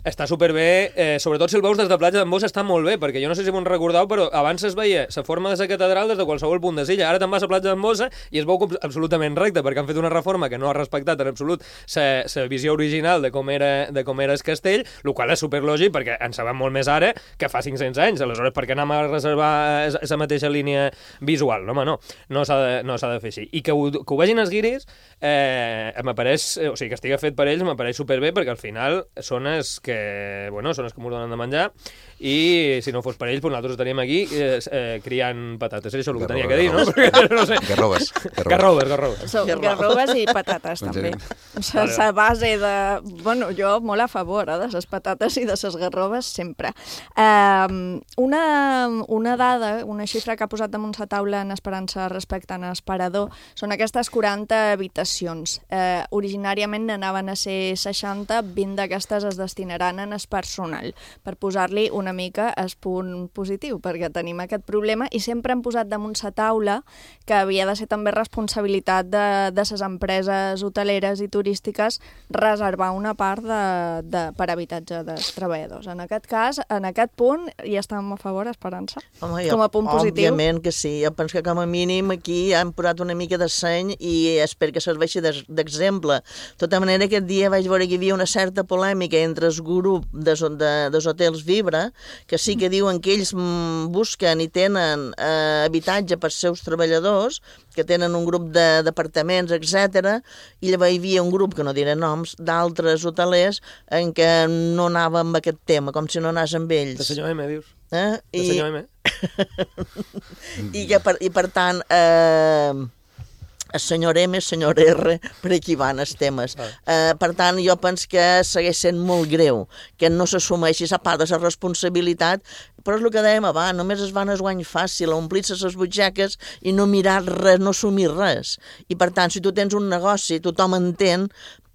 Està superbé, eh, sobretot si el veus des de platja d'en Bosch està molt bé, perquè jo no sé si m'ho recordeu, però abans es veia la forma de la catedral des de qualsevol punt de l'illa. Ara te'n vas a platja d'en Bosch i es veu absolutament recte, perquè han fet una reforma que no ha respectat en absolut la visió original de com era, de com era el castell, el qual és superlògic, perquè en sabem molt més ara que fa cinc-cents anys. Aleshores, per què anem a reservar la mateixa línia visual? No, home, no. No s'ha de, no s'ha de fer així. I que ho, que ho vegin els guiris, eh, m'apareix, o sigui, que estigui fet per ells, m'apareix superbé, perquè al final són els que que, bueno, són els que m'ho donen de menjar, i si no fos per ells, doncs nosaltres estaríem aquí eh, eh, criant patates. És això el que tenia que dir, no? no sé. Garrobes. Garrobes, garrobes. So, garrobes i patates, també. La Vale. base de... Bueno, jo molt a favor eh, de les patates i de les garrobes, sempre. Um, una, una dada, una xifra que ha posat damunt la taula en Esperança respecte a Esperador, són aquestes quaranta habitacions. Uh, originàriament n'anaven a ser seixanta, vint d'aquestes es destinaran en el personal, per posar-li una mica el punt positiu, perquè tenim aquest problema i sempre hem posat damunt la taula que havia de ser també responsabilitat de, de les empreses hoteleres i turístiques reservar una part de, de, per habitatge dels treballadors. En aquest cas, en aquest punt, hi estem a favor, Esperança? Home, jo, com a punt positiu? Òbviament que sí. Jo penso que com a mínim aquí han posat una mica de seny i espero que serveixi d'exemple. De tota manera, aquest dia vaig veure que hi havia una certa polèmica entre el grup dels de, de hotels Vibra, que sí que diuen que ells busquen i tenen eh, habitatge per als seus treballadors, que tenen un grup d'apartaments, etcètera, i llavors hi havia un grup, que no diré noms, d'altres hotelers en què no anava amb aquest tema, com si no anés amb ells. De senyor M, dius? Eh? De I... senyor M. I, que per, I per tant... Eh... el senyor M, el senyor R, per aquí van els temes. Ah. Uh, per tant, jo penso que segueix sent molt greu, que no s'assumeixi a part de la responsabilitat, però és el que dèiem abans, només es van a guany fàcil, a omplir-se les butxaques i no mirar res, no assumir res. I per tant, si tu tens un negoci, tothom entén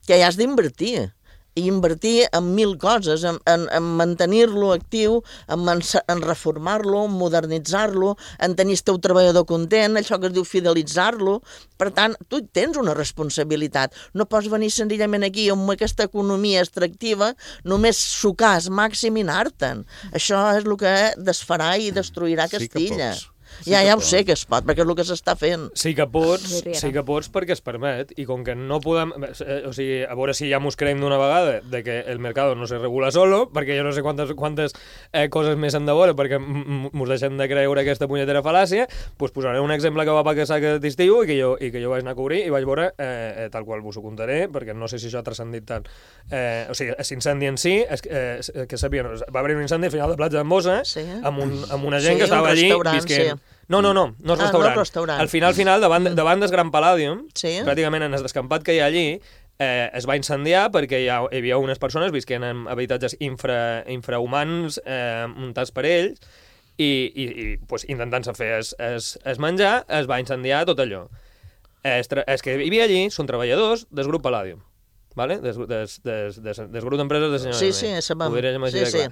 que hi has d'invertir. i invertir en mil coses, en, en, en mantenir-lo actiu, en, en reformar-lo, en modernitzar-lo, en tenir el teu treballador content, això que es diu fidelitzar-lo. Per tant, tu tens una responsabilitat. No pots venir senzillament aquí amb aquesta economia extractiva, només sucar al màxim i anar-te'n. Això és el que desfarà i destruirà Castilla. Sí Sí ja, ja ho sé que es pot, perquè és el que s'està fent. Sí que pots, sí que pots perquè es permet, i com que no podem... O sigui, a veure si ja mos creiem d'una vegada de que el mercat no se regula solo, perquè jo no sé quantes, quantes eh, coses més hem de veure perquè mos deixem de creure aquesta punyetera fal·làcia, doncs posaré un exemple que va passar aquest estiu i que jo, i que jo vaig anar a cobrir i vaig veure, eh, tal qual vos ho contaré, perquè no sé si això ha transcendit tant. Eh, o sigui, l'incendi en si, és, eh, que sabien, va haver un incendi al final de Platja d'Embossa, sí. amb, un, amb una gent sí, que estava allí visquent. Sí. No, no, no, no és ah, restaurant. No restaurant. Al final, final, davant, davant del Gran Palladium, sí. pràcticament en el descampat que hi ha allí, eh, es va incendiar perquè hi, ha, hi havia unes persones visquent en habitatges infra, infrahumans eh, muntats per ells i, i, i pues, intentant-se fer es, es, es menjar, es va incendiar tot allò. Es, es que hi havia allí són treballadors del grup Palladium. Vale? Des, des, des, des, des grup d'empreses de senyor sí, sí, sabem. Sí, sí.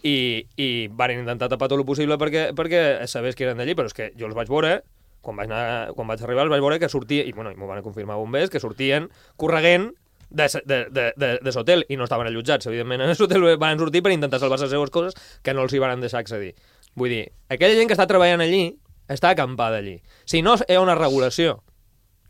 I, i van intentar tapar tot el possible perquè, perquè sabés que eren d'allí, però és que jo els vaig veure, quan vaig, anar, quan vaig arribar els vaig veure que sortia, i bueno, m'ho van confirmar bombers, que sortien correguent de, de, de, de, de l'hotel, i no estaven allotjats, evidentment, en l'hotel van sortir per intentar salvar les seves coses que no els hi van deixar accedir. Vull dir, aquella gent que està treballant allí està acampada allí. Si no hi ha una regulació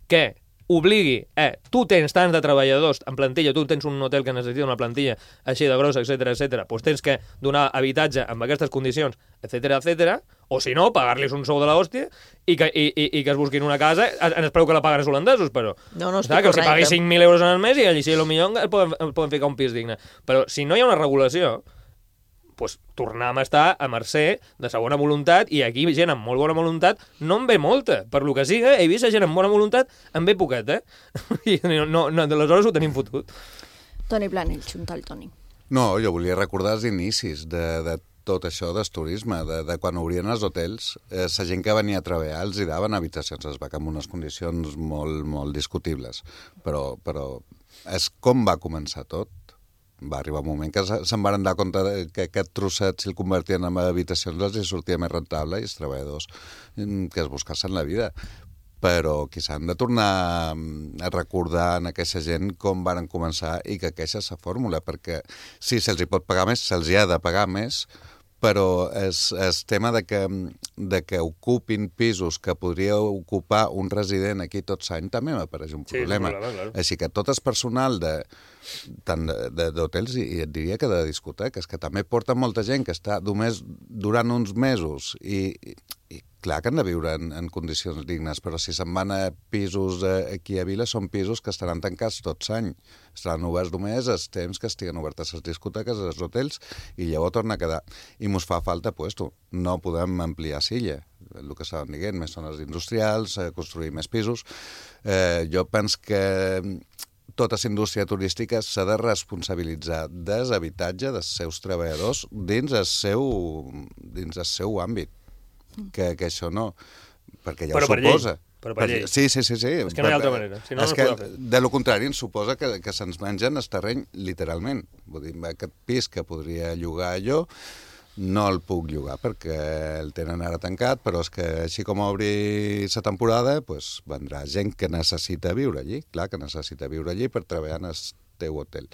que obligui, eh, tu tens tants de treballadors en plantilla, tu tens un hotel que necessita una plantilla així de grossa, etcètera, etcètera, doncs tens que donar habitatge amb aquestes condicions, etcètera, etcètera, o si no, pagar-los un sou de l'hòstia i, que, i, i, i que es busquin una casa, en el preu que la paguen els holandesos, però... No, no, que els pagui cinc mil euros en el mes i allí sí, potser el poden, el poden ficar un pis digne. Però si no hi ha una regulació, pues, tornem a estar a mercè de segona voluntat, i aquí gent amb molt bona voluntat no en ve molta, per lo que siga, he vist gent amb bona voluntat en ve poquet, eh? I no, no, aleshores ho tenim fotut. Toni Planell, xunta el Toni. No, jo volia recordar els inicis de, de tot això del turisme, de, de quan obrien els hotels, eh, la gent que venia a treballar els hi daven habitacions, es va en unes condicions molt, molt discutibles, però, però és com va començar tot. Va arribar un moment que se'n van dar compte que aquest trosset, si el convertien en habitacions, els hi sortia més rentable i els treballadors que es buscassin la vida. Però qui s'han de tornar a recordar en aquesta gent com van començar i que aquesta és la fórmula, perquè sí, se'ls hi pot pagar més, se'ls hi ha de pagar més, però és, és tema de que, de que ocupin pisos que podria ocupar un resident aquí tot l'any també m'apareix un problema. Sí, clar, clar. Així que tot el personal de tant d'hotels i et diria que de discoteques, que també porta molta gent que està només durant uns mesos i, i clar que han de viure en, en condicions dignes, però si se'n van a pisos aquí a Vila són pisos que estaran tancats tot l'any. Estaran oberts només els temps que estiguen obertes les discoteques, els hotels, i llavors torna a quedar. I mos fa falta puesto. No podem ampliar Silla, el que estaven dient, més zones industrials, construir més pisos. Eh, jo penso que tota la indústria turística s'ha de responsabilitzar des habitatge dels seus treballadors dins el seu, dins el seu àmbit. Que, que això no, perquè ja però ho suposa. Llei. Però per llei. Sí, sí, sí, sí. És que no hi ha altra manera. Si no, és no que, fer. de lo contrari, ens suposa que, que se'ns mengen el terreny literalment. Vull dir, aquest pis que podria llogar jo, no el puc llogar perquè el tenen ara tancat, però és que així com obri la temporada, pues, vendrà gent que necessita viure allí, clar que necessita viure allí per treballar en el teu hotel.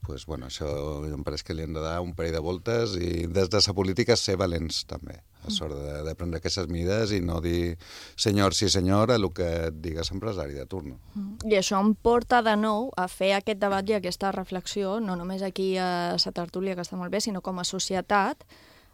Pues, bueno, això em pareix que li hem de dar un parell de voltes i des de la política ser valents també, a sort de, de prendre aquestes mides i no dir senyor, sí senyor, a el que et digues empresari de turno. I això em porta de nou a fer aquest debat i aquesta reflexió, no només aquí a la tertúlia, que està molt bé, sinó com a societat.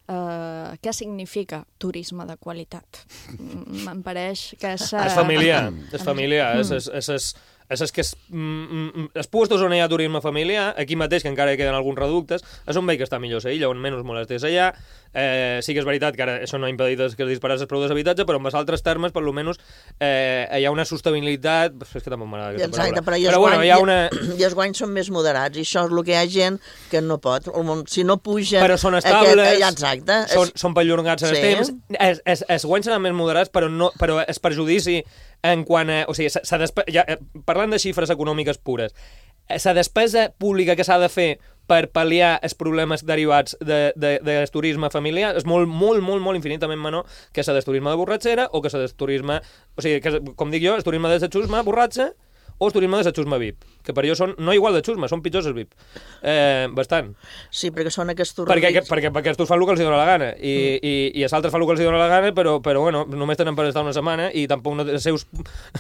Uh, què significa turisme de qualitat? Em pareix que és... Uh... És familiar, és familiar, és... és, és, és... És, és que és, mm, els puestos on hi ha turisme familiar, aquí mateix, que encara hi queden alguns reductes, és on veig que està millor ser illa, on menys molestes allà. Eh, sí que és veritat que ara això no ha impedit que es disparés el preu d'habitatge, però en els altres termes, per almenys, eh, hi ha una sostenibilitat... És que tampoc m'agrada aquesta Exacte, paraula. però, i però guany, bueno, hi ha una... I els guanys són més moderats, i això és el que hi ha gent que no pot. Si no pugen... Però són estables, aquest, exacte, són, és... són perllongats en sí. els temps, es, es, es guanys seran més moderats, però, no, però és perjudici en quant a... O sigui, s'ha despe... ja, parlant de xifres econòmiques pures, la despesa pública que s'ha de fer per pal·liar els problemes derivats de, de, del turisme familiar és molt, molt, molt, molt infinitament menor que la del turisme de borratxera o que la del turisme... O sigui, que, com dic jo, el turisme de la xusma borratxa o el turisme de la xusma V I P, que per jo són no igual de xusma, són pitjors els V I P. Eh, bastant. Sí, perquè són aquests perquè, perquè, perquè, perquè estos fan el que els dona la gana i, mm. i, i els altres fan el que els dona la gana, però, però bueno, només tenen per estar una setmana i tampoc no, les, seus,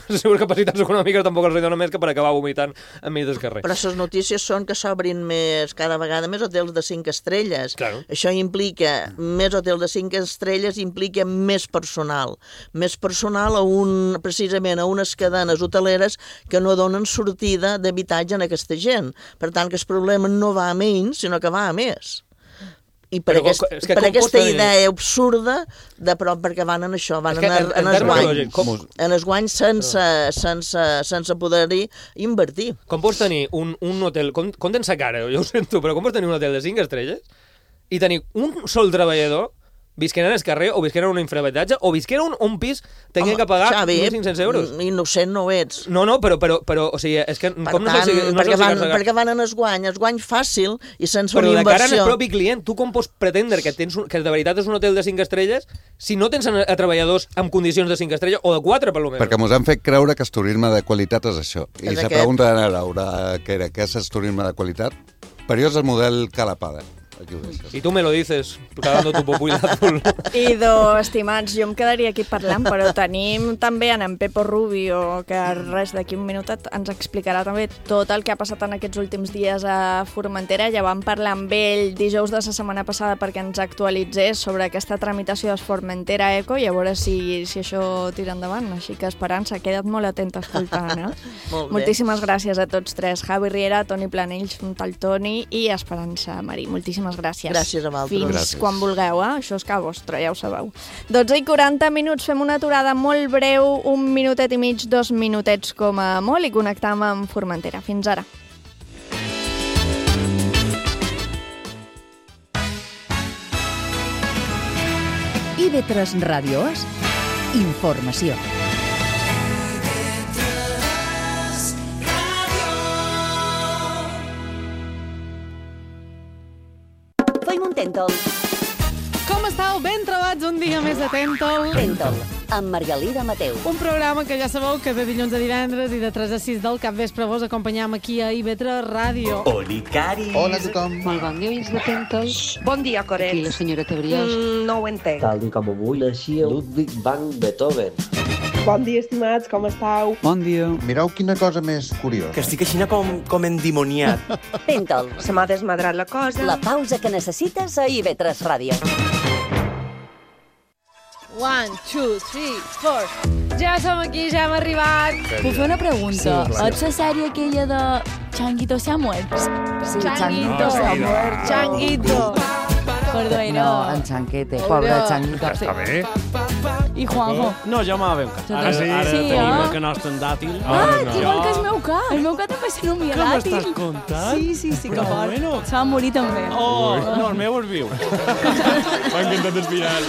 les seves capacitats econòmiques tampoc els donen més que per acabar vomitant enmig del carrer. Però les notícies són que s'obrin més, cada vegada més hotels de cinc estrelles. Claro. Això implica, més hotels de cinc estrelles implica més personal. Més personal a un, precisament a unes cadenes hoteleres que no donen sortida d'habitatge en aquesta gent. Per tant, que el problema no va a menys, sinó que va a més. I per, Però, aquest, és que per aquesta tenir... idea absurda de prop, perquè van en això, van és que, en, en, en, en el guany, com... en el guany sense, sense, sense poder-hi invertir. Com pots tenir un, un hotel, com, com tens la cara, jo ho sento, però com pots tenir un hotel de cinc estrelles i tenir un sol treballador visquent en el carrer, o visquent en un infrahabitatge, o visquent en un, un pis, tenien que pagar Xavi, mil cinc-cents euros. Innocent no ho ets. No, no, però, però, però o sigui, és que... Per com tant, no sé si, no perquè, sé van, si perquè van en el guany, el guany fàcil i sense però una inversió. Però de cara al propi client, tu com pots pretendre que, tens un, que de veritat és un hotel de cinc estrelles si no tens a, a treballadors amb condicions de cinc estrelles, o de quatre, per lo menys? Perquè ens han fet creure que el turisme de qualitat és això. I És se aquest. pregunten a Laura què era, què és el turisme de qualitat? Per jo és el model Calapada. Aquí ho deixes. I tu me lo dices, cagando tu popular azul. Idò, estimats, jo em quedaria aquí parlant, però tenim també en, en Pepo Rubio, que res, d'aquí un minutet ens explicarà també tot el que ha passat en aquests últims dies a Formentera. Ja vam parlar amb ell dijous de la setmana passada perquè ens actualitzés sobre aquesta tramitació de Formentera Eco i a veure si, si això tira endavant. Així que, Esperança, queda't molt atenta escoltant, eh? Molt bé. Moltíssimes gràcies a tots tres. Javi Riera, Toni Planells, un tal Toni i Esperança Marí. Moltíssimes gràcies. Gràcies a vosaltres. Fins Gràcies. quan vulgueu, eh? Això és que vostre, ja ho sabeu. dotze i quaranta minuts, fem una aturada molt breu, un minutet i mig, dos minutets com a molt, i connectam amb Formentera. Fins ara. I ve tres Ràdio és informació. Tèntol. Com estàu? Ben trobats un dia més a Tèntol. Tèntol, amb Margalida Mateu. Un programa que ja sabeu que de dilluns a divendres i de tres a sis del capvespre vos acompanyam aquí a I V tres Ràdio. Oli, Cari. Hola a tothom. Molt bon dia, veïns de Tèntol. Bon dia, Coret. Aquí la senyora Tebriós. Mm, no ho entenc. Tal i com avui naixia Ludwig van Beethoven. Bon dia, estimats, com estàu? Bon dia. Mireu quina cosa més curiosa. Que estic així com, com endimoniat. Tèntol. Se m'ha desmadrat la cosa. La pausa que necessites a I V tres Ràdio. One, two, three, four. Ja som aquí, ja hem arribat. Puc fer una pregunta? Sí, clar. Ets la sèrie aquella de Changuito se ha muerto? Sí, Changuito se ha muerto. Changuito. Perdó, no. no. En Chanquete, pobre Changuito. Està bé. I Juanjo. No, jo m'ha ben Ara, Sí, ara sí, tenim eh? el canast en dàtil. Ah, que igual que el meu ca. El meu ca també se nomia Que dàtil. m'estàs contant? Sí, sí, sí, que Però fort. bueno. Se va morir també. Oh, no, el meu és viu. M'ha encantat el final.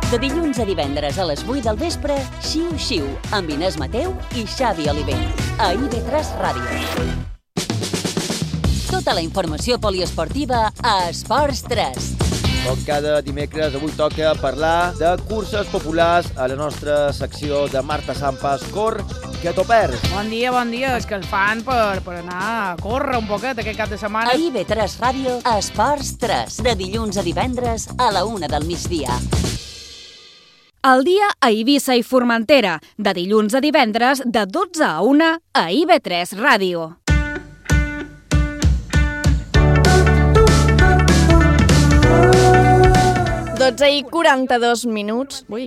De dilluns a divendres a les vuit del vespre, Xiu Xiu, amb Inés Mateu i Xavi Oliver. A I V tres Ràdio. Tota la informació poliesportiva a Esports tres. Com cada dimecres, avui toca parlar de curses populars a la nostra secció de Marta Sampas Cor, que t'ho perds. Bon dia, bon dia. És que el fan per, per anar a córrer un poquet aquest cap de setmana. A I V tres Ràdio, Esports tres, de dilluns a divendres a la una del migdia. El dia a Eivissa i Formentera, de dilluns a divendres, de dotze a una, a I V tres Ràdio. dotze i quaranta-dos minuts. Ui,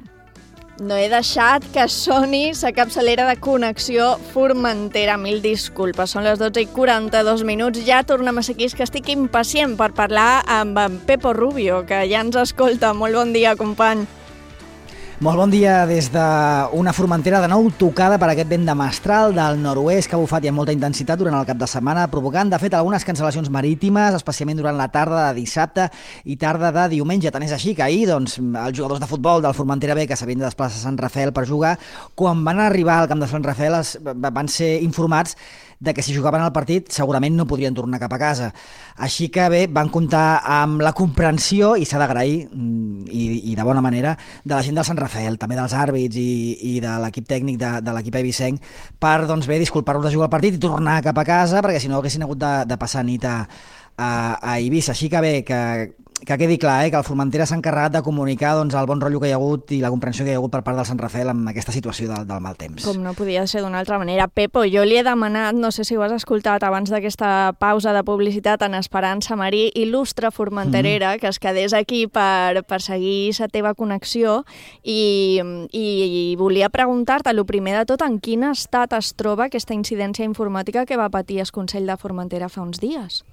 no he deixat que soni la capçalera de connexió Formentera. Mil disculpes, són les dotze i quaranta-dos minuts. Ja tornem a ser aquí, que estic impacient per parlar amb en Pepo Rubio, que ja ens escolta. Molt bon dia, company. Molt bon dia des d'una Formentera de nou tocada per aquest vent de mestral del nord-oest que ha bufat i amb molta intensitat durant el cap de setmana, provocant, de fet, algunes cancel·lacions marítimes, especialment durant la tarda de dissabte i tarda de diumenge. Tant és així que ahir, doncs, els jugadors de futbol del Formentera B, que s'havien de desplaçar a Sant Rafael per jugar, quan van arribar al camp de Sant Rafael es, van ser informats de que si jugaven el partit segurament no podrien tornar cap a casa. Així que bé, van comptar amb la comprensió, i s'ha d'agrair, i, i de bona manera, de la gent del Sant Rafael, també dels àrbits i, i de l'equip tècnic de, de l'equip eivissenc, per, doncs bé, disculpar-los de jugar el partit i tornar cap a casa, perquè si no haguessin hagut de, de passar nit a, a, a Eivissa. Així que bé, que... que quedi clar, eh, que el Formentera s'ha encarregat de comunicar doncs, el bon rotllo que hi ha hagut i la comprensió que hi ha hagut per part del Sant Rafael amb aquesta situació del, del mal temps. Com no podia ser d'una altra manera. Pepo, jo li he demanat, no sé si ho has escoltat abans d'aquesta pausa de publicitat, en Esperança Marí, il·lustre formenterera, mm-hmm. que es quedés aquí per, per seguir la teva connexió i, i, i volia preguntar-te, el primer de tot, en quin estat es troba aquesta incidència informàtica que va patir el Consell de Formentera fa uns dies?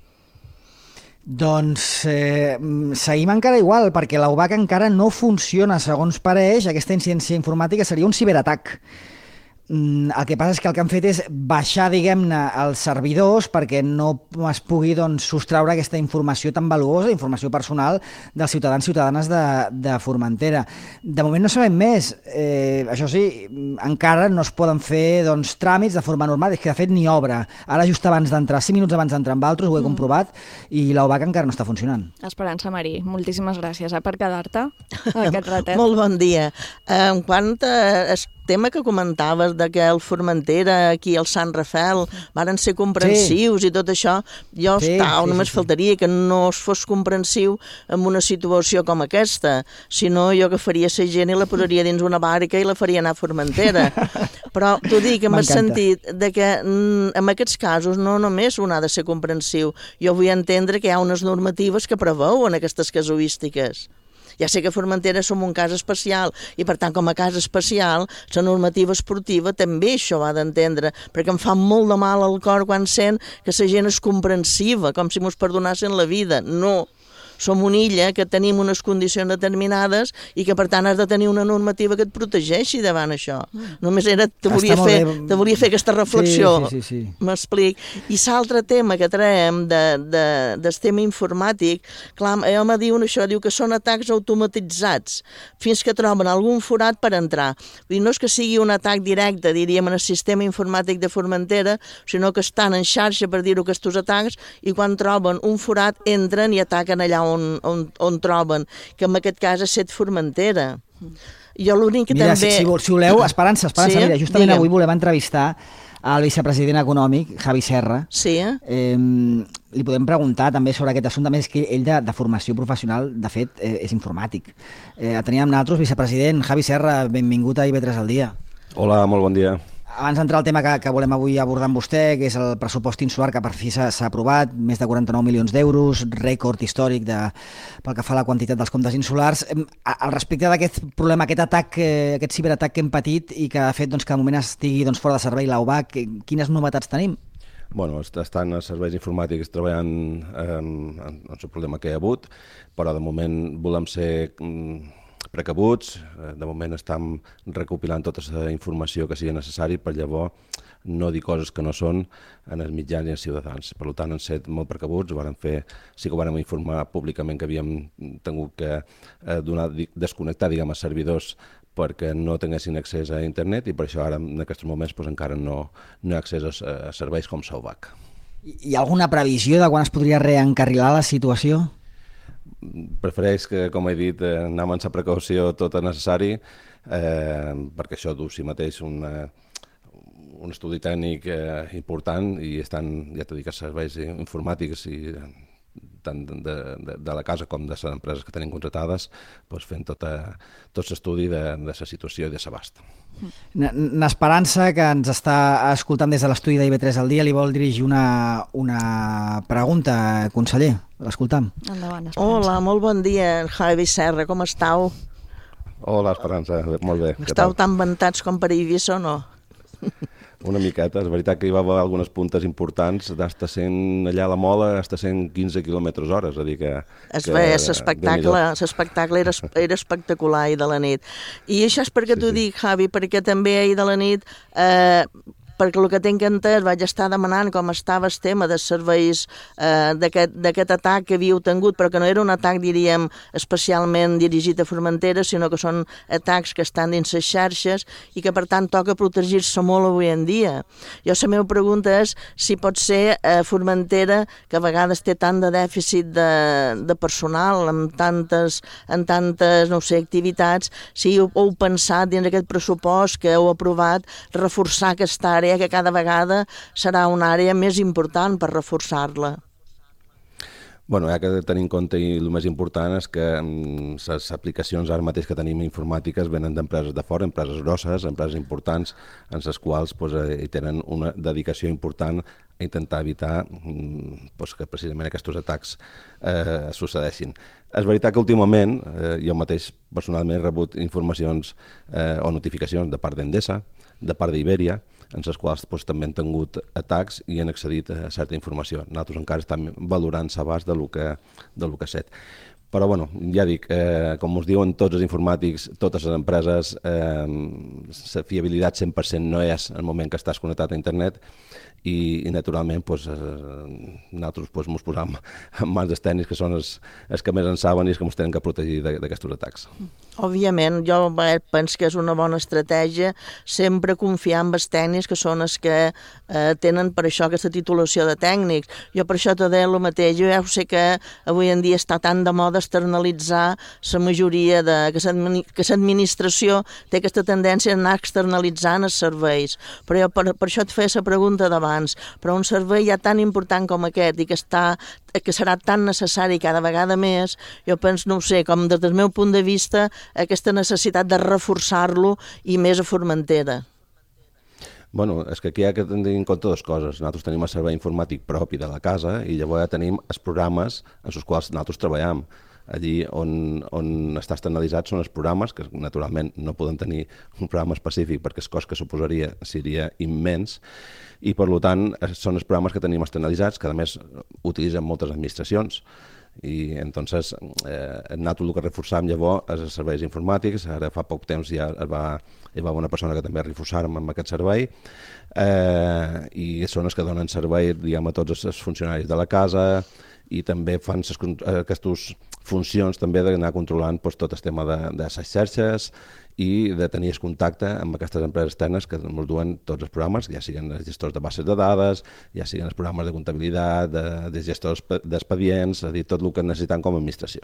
Doncs eh, seguim encara igual, perquè l'U B A C encara no funciona. Segons pareix, aquesta incidència informàtica seria un ciberatac. El que passa és que el que han fet és baixar, diguem-ne, els servidors perquè no es pugui doncs, sostraure aquesta informació tan valuosa, informació personal dels ciutadans i ciutadanes de, de Formentera. De moment no sabem més. Eh, això sí, encara no es poden fer doncs, tràmits de forma normal, és que de fet ni obra. Ara just abans d'entrar, cinc minuts abans d'entrar amb altres, ho he comprovat, i l'U B A C encara no està funcionant. Esperança Marí, moltíssimes gràcies eh, per quedar-te aquest ratet. Molt bon dia. En quant a tema que comentaves de que el Formentera, aquí al Sant Rafael, varen ser comprensius sí. i tot això, jo sí, estava, sí, només sí, faltaria sí. que no es fos comprensiu en una situació com aquesta, si no jo que faria ser gent i la posaria dins una barca i la faria anar a Formentera. Però t'ho dic, en el sentit de que en aquests casos no només un ha de ser comprensiu, jo vull entendre que hi ha unes normatives que preveuen aquestes casuístiques. Ja sé que Formentera som un cas especial i, per tant, com a cas especial, la normativa esportiva també això va d'entendre, perquè em fa molt de mal al cor quan sent que la gent és comprensiva, com si mos perdonassin la vida. No. Som una illa que tenim unes condicions determinades i que, per tant, has de tenir una normativa que et protegeixi davant això. Només era, te volia, fer, te volia fer aquesta reflexió. Sí, sí, sí, sí. M'explic. I l'altre tema que traiem de, de, del tema informàtic, clar, jo me diuen això, diu que són atacs automatitzats, fins que troben algun forat per entrar. Vull dir, no és que sigui un atac directe, diríem, en el sistema informàtic de Formentera, sinó que estan en xarxa, per dir-ho, aquests atacs, i quan troben un forat entren i ataquen allà On, on, on troben, que en aquest cas és Set Formentera. Jo l'únic que mira, també... Si, si, si voleu, Esperança, Esperança, sí? Mira, justament Digue'm. Avui volem entrevistar al vicepresident econòmic, Javi Serra. Sí. Eh, li podem preguntar també sobre aquest assumpte, més que ell de, de formació professional, de fet, eh, és informàtic. Eh, teníem amb nosaltres, vicepresident Javi Serra, benvingut a I V tres al dia. Hola, molt bon dia. Abans d'entrar al tema que, que volem avui abordar amb vostè, que és el pressupost insular, que per fi s'ha aprovat, més de quaranta-nou milions d'euros, rècord històric de, pel que fa a la quantitat dels comptes insulars. Al respecte d'aquest problema, aquest atac, aquest ciberatac que hem patit i que ha fet doncs, que de moment estigui doncs, fora de servei l'U B A C, quines novetats tenim? Bueno, estan els serveis informàtics treballant en, en, en el problema que hi ha hagut, però de moment volem ser precabuts, de moment estem recopilant tota la informació que sigui necessari per llavors no dir coses que no són en els mitjans i els ciutadans. Per tant, hem estat molt precabuts, vàrem fer, sí que vàrem informar públicament que havíem tingut que eh, donar, desconnectar diguem, els servidors perquè no tinguessin accés a internet i per això ara en aquests moments doncs, encara no, no hi ha accés a, a serveis com l'U B A C. Hi ha alguna previsió de quan es podria reencarrilar la situació? Prefereix que, com he dit, anar amb la precaució tota necessari, eh, perquè això du si mateix una, un estudi tècnic eh, important i estan, ja t'ho dic, els serveis informàtics i tant de, de, de la casa com de les empreses que tenim contratades, doncs fent tota, tot l'estudi de, de la situació i de l'abast. N'Esperança, que ens està escoltant des de l'estudi d'I V tres al dia, li vol dirigir una, una pregunta, conseller. L'escoltam. Endavant, Esperança. Hola, molt bon dia, Javi Serra, com estàu? Hola, Esperança, molt bé. Estàu tan ventats com per Eivissa o no? Una miqueta. És veritat que hi va haver algunes puntes importants d'hasta cent, allà a la Mola, hasta cent quinze quilòmetres hora, és a dir que... Es veia, l'espectacle l'espectacle era, era espectacular ahir de la nit. I això és perquè sí, t'ho sí. dic, Javi, perquè també ahir de la nit... Eh, perquè el que tinc entès vaig estar demanant com estava el tema de serveis eh, d'aquest atac que havíeu tingut, però que no era un atac, diríem, especialment dirigit a Formentera, sinó que són atacs que estan dins les xarxes i que, per tant, toca protegir-se molt avui en dia. Jo la meva pregunta és si pot ser eh, Formentera, que a vegades té tant de dèficit de, de personal, amb tantes, en tantes, no sé, activitats, si heu, heu pensat dins d'aquest pressupost que heu aprovat reforçar aquesta àrea, que cada vegada serà una àrea més important per reforçar-la. Bueno, hi ha que tenir en compte, i el més important és que les aplicacions ara mateix que tenim informàtiques venen d'empreses de fora, empreses grosses, empreses importants, en les quals pues, hi tenen una dedicació important a intentar evitar pues, que precisament aquests atacs eh, succeeixin. És veritat que últimament eh, jo mateix personalment he rebut informacions eh, o notificacions de part d'Endesa, de part d'Iberia, en les quals doncs, també han tingut atacs i han accedit a certa informació. Nosaltres encara estem valorant l'abast del que, del que ha set. Però, bueno, ja dic, eh, com us diuen tots els informàtics, totes les empreses, eh, la fiabilitat cent per cent no és el moment que estàs connectat a internet i, i naturalment, pues, eh, nosaltres pues, ens posam en mans dels tècnics, que són els, els que més en saben i els que ens tenen que protegir d'aquests atacs. Òbviament, jo penso que és una bona estratègia sempre confiar en els tècnics, que són els que eh, tenen per això aquesta titulació de tècnics. Jo per això t'ho deia el mateix. Jo ja sé que avui en dia està tan de moda externalitzar la majoria de... que l'administració té aquesta tendència a anar externalitzant els serveis. Però jo per, per això et feia la pregunta d'abans. Però un servei ja tan important com aquest i que, està, que serà tan necessari cada vegada més, jo penso, no ho sé, com des del meu punt de vista, aquesta necessitat de reforçar-lo i més a Formentera. Bueno, és que aquí hi ha que tenir en compte dues coses. Nosaltres tenim el servei informàtic propi de la casa i llavors ja tenim els programes en els quals nosaltres treballem. Allí on, on està externalitzat són els programes, que naturalment no poden tenir un programa específic perquè el cost que suposaria seria immens, i per tant són els programes que tenim externalitzats, que a més utilitzen moltes administracions. I entonces eh, nosaltres el que reforçàvem llavors és els serveis informàtics. Ara fa poc temps ja va, hi va una persona que també reforçàrem amb aquest servei eh, i són els que donen servei, diguem, a tots els funcionaris de la casa i també fan ses, aquestes funcions també d'anar controlant pues, tot el tema de, de les xarxes i de tenir contacte amb aquestes empreses externes que ens duen tots els programes, ja siguin els gestors de bases de dades, ja siguin els programes de comptabilitat, de, de gestors d'expedients, és a dir, tot el que necessitem com a administració.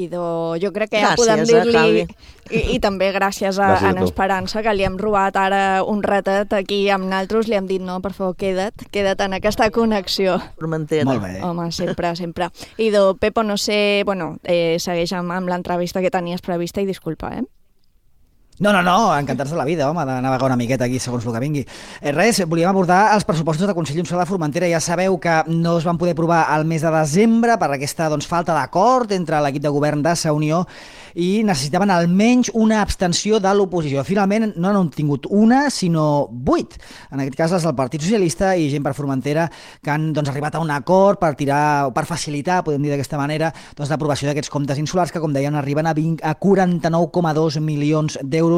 Idò, jo crec que ja gràcies, podem dir-li, i, i també gràcies a, gràcies a en Esperança, que li hem robat ara un ratet aquí amb naltros, li hem dit, no, per favor, queda't, queda't en aquesta connexió. Formentera. Molt bé. Home, sempre, sempre. Idò, Pepo, no sé, bueno, eh, segueix amb, amb l'entrevista que tenies prevista i disculpa, eh? No, no, no, encantats de la vida, home, de navegar una miqueta aquí segons el que vingui. Eh, res, volíem abordar els pressupostos de Consell Insular de Formentera. Ja sabeu que no es van poder aprovar al mes de desembre per aquesta doncs, falta d'acord entre l'equip de govern de Sa Unió i necessitaven almenys una abstenció de l'oposició. Finalment no n'han tingut una, sinó vuit. En aquest cas, les del Partit Socialista i gent per Formentera que han doncs, arribat a un acord per tirar, per facilitar, podem dir d'aquesta manera, doncs, l'aprovació d'aquests comptes insulars que, com deien, arriben a, vint, a quaranta-nou coma dos milions d'euros,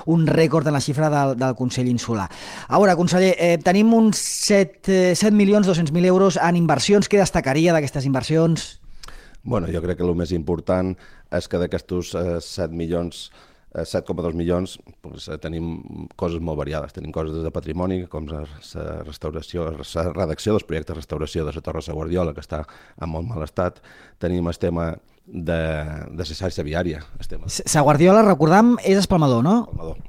un rècord en la xifra del, del Consell Insular. A veure, conseller, eh, tenim uns set milions dos-cents mil euros en inversions. Què destacaria d'aquestes inversions? Bueno, jo crec que el més important és que d'aquests eh, set milions, eh, set coma dos milions, pues, eh, tenim coses molt variades. Tenim coses de patrimoni, com la restauració, la redacció dels projectes de restauració de la Torre de Guardiola, que està en molt mal estat. Tenim el tema de, de la xarxa viària. Sa Guardiola, recordam, és espalmador, no? Espalmador,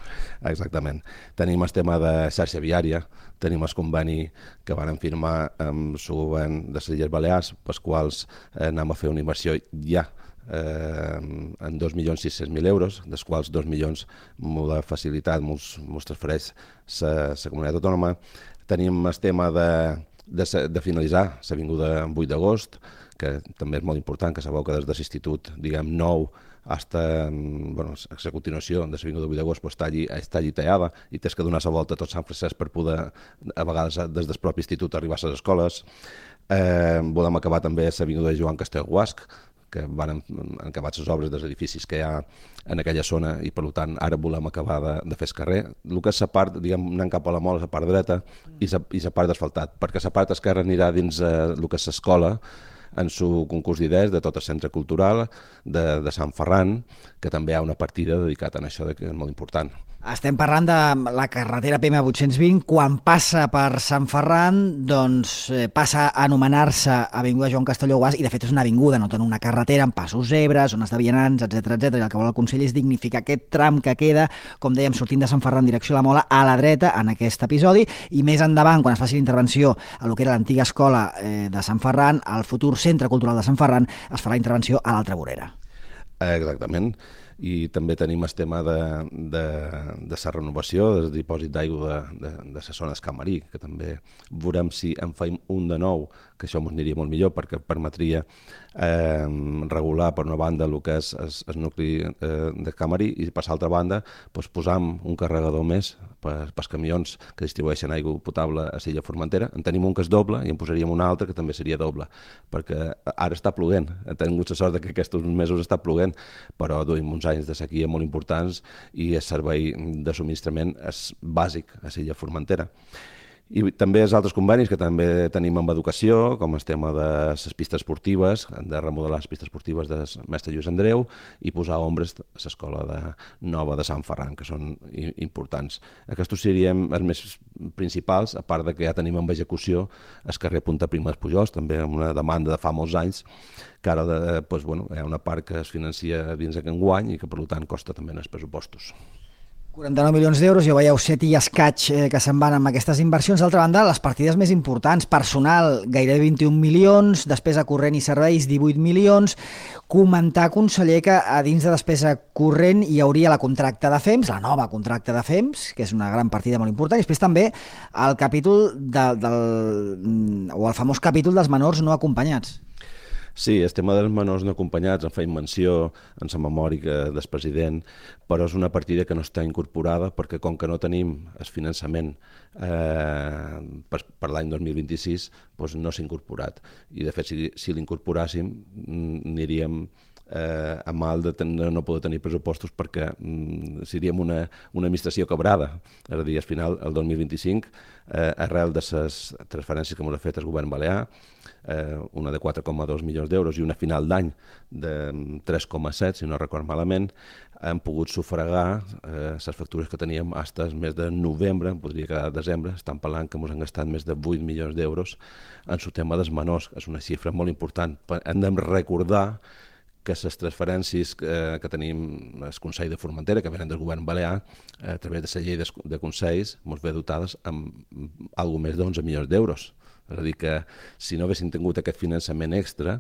exactament. Tenim el tema de xarxa viària, tenim el conveni que van firmar amb el govern de les Illes Balears, pels quals eh, anem a fer una inversió ja eh, en dos milions sis-cents mil euros, dels quals dos milions amb la facilitat ens transfereix la comunitat autònoma. Tenim el tema de, de, de finalitzar l'Avinguda vuit d'agost, que que també és molt important, que sabeu que des de l'institut, diguem, nou, hasta, bueno, a continuació de l'Avinguda vuit d'agost pues, està, allí, està allí tallada i tens que donar la volta a tot Sant Francesc per poder, a vegades, des del propi institut arribar a les escoles. Eh, volem acabar també l'Avinguda de Joan Castellguasc, que van acabar les obres dels edificis que hi ha en aquella zona i, per tant, ara volem acabar de, de fer el carrer. El que és la part, diguem, anant cap a la Mola, la part dreta, i la part d'asfaltat, perquè la part esquerra anirà dins eh, el que és l'escola, en su concurs d'idees de tot el centre cultural de, de Sant Ferran, que també hi ha una partida dedicada a això, que és molt important. Estem parlant de la carretera P M vuit-cents vint. Quan passa per Sant Ferran, doncs eh, passa a anomenar-se Avinguda Joan Castelló Guàs, i de fet és una avinguda, no té una carretera amb passos zebres, zones de vianants, etcètera, etcètera. I el que vol el Consell és dignificar aquest tram que queda, com dèiem, sortint de Sant Ferran en direcció a la Mola, a la dreta, en aquest episodi, i més endavant, quan es faci l'intervenció a lo que era l'antiga escola eh, de Sant Ferran, al futur Centre Cultural de Sant Ferran, es farà intervenció a l'altra vorera. Exactament. I també tenim el tema de, de, de la renovació del dipòsit d'aigua de, de, de les zones Camarí, que també veurem si en faim un de nou, que això ens aniria molt millor perquè permetria eh, regular per una banda el que és el nucli eh, de Camarí i per l'altra banda pues, posam un carregador més per, pels camions que distribueixen aigua potable a l'illa Formentera. En tenim un que és doble i en posaríem un altre que també seria doble, perquè ara està ploguent. Hem tingut la sort que aquests mesos està ploguent, però duim uns anys de sequia molt importants i el servei de subministrament és bàsic a l'illa Formentera. I també els altres convenis que també tenim amb educació, com el tema de les pistes esportives, de remodelar les pistes esportives del mestre Lluís Andreu i posar ombres a l'escola de nova de Sant Ferran, que són importants. Aquests serien els més principals, a part de que ja tenim en execució el carrer Punta Prima dels Pujols, també amb una demanda de fa molts anys, que ara de, doncs, bueno, hi ha una part que es financia dins aquest enguany i que per tant costa també en els pressupostos. quaranta-nou milions d'euros, ja veieu, set i escaig eh, que se'n van amb aquestes inversions. D'altra banda, les partides més importants, personal, gairebé vint-i-un milions, despesa corrent i serveis, divuit milions. Comentar, conseller, que a dins de despesa corrent hi hauria la contracta de F E M S, la nova contracta de F E M S, que és una gran partida molt important, i després també el capítol de, del, o el famós capítol dels menors no acompanyats. Sí, el tema dels menors no acompanyats en feim menció en la memòria del president, però és una partida que no està incorporada perquè com que no tenim el finançament eh, per, per l'any dos mil vint-i-sis, doncs no s'ha incorporat. I de fet, si, si l'incorporàssim, aniríem eh, a mal de ten, no poder tenir pressupostos perquè mm, seríem una, una administració quebrada. És a dir, al final, el dos mil vint-i-cinc, eh, arrel de les transferències que ens ha fet el govern balear, Eh, una de quatre coma dos milions d'euros i una final d'any de tres coma set, si no record malament, hem pogut sufragar eh, les factures que teníem fins al mes de novembre, podria quedar desembre, estan parlant que ens han gastat més de vuit milions d'euros en el tema dels menors, és una xifra molt important. Hem de recordar que les transferències que, que tenim al Consell de Formentera, que venen del govern balear, a través de la llei de, de consells, ens ve dotades amb algo més d'onze milions d'euros. És a dir, que si no haguéssim tingut aquest finançament extra,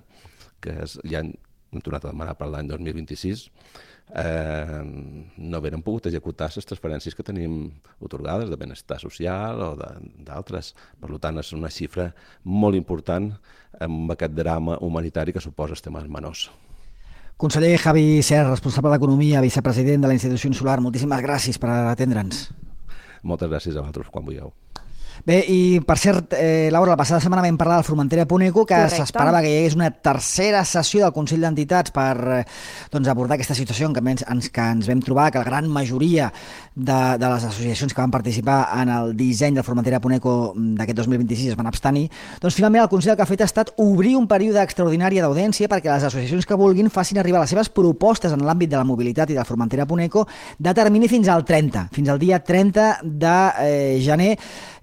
que és, ja hem tornat a demanar per l'any dos mil vint-i-sis, eh, no haguérem pogut executar les transferències que tenim atorgades de benestar social o d'altres. Per tant, és una xifra molt important amb aquest drama humanitari que suposa el tema dels menors. Conseller Javi Serra, responsable d'Economia, vicepresident de la Institució Insular, moltíssimes gràcies per atendre'ns. Moltes gràcies a vosaltres quan vulgueu. Bé, i per cert, eh, Laura, la passada setmana vam parlar del Formentera Punt Eco, que s'esperava que hi hagués una tercera sessió del Consell d'Entitats per eh, doncs, abordar aquesta situació en què ens, que ens vam trobar, que la gran majoria de, de les associacions que van participar en el disseny del Formentera Punt Eco d'aquest dos mil vint-i-sis es van abstenir. Doncs finalment el Consell el que ha fet ha estat obrir un període extraordinari d'audiència perquè les associacions que vulguin facin arribar les seves propostes en l'àmbit de la mobilitat i del Formentera Punt Eco de termini fins al trenta, fins al dia trenta de eh, gener,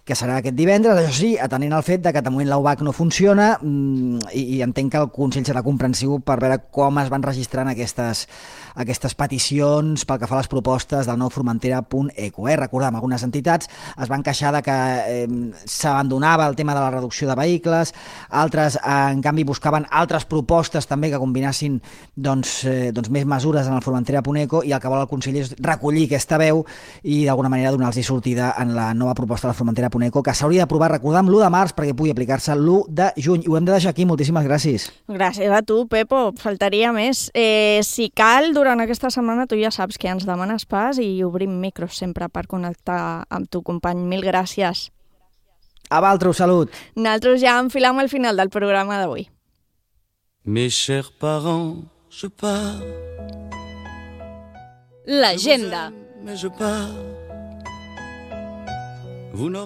que serà aquest divendres. Això sí, atenent al fet de que de moment l'A U B A C no funciona i, i entenc que el Consell serà comprensiu per veure com es van registrant aquestes, aquestes peticions pel que fa a les propostes del nou Formentera Punt Eco. Eh? Recordem, algunes entitats es van queixar de que eh, s'abandonava el tema de la reducció de vehicles, altres, eh, en canvi, buscaven altres propostes també que combinassin doncs, eh, doncs més mesures en el Formentera Punt Eco, i el que vol el Consell és recollir aquesta veu i d'alguna manera donar-los sortida en la nova proposta del Formentera Punt Cuneco, que s'hauria d'aprovar, recordar, amb l'u de març perquè pugui aplicar-se l'u de juny. I ho hem de deixar aquí. Moltíssimes gràcies. Gràcies a tu, Pepo. Faltaria més. Eh, si cal, durant aquesta setmana, tu ja saps que ens demanes pas i obrim micros sempre per connectar amb tu company. Mil gràcies. A Valtro, salut. Nosaltres ja enfilam al final del programa d'avui. Mes chers parents, je pars. L'agenda. Mais je pars.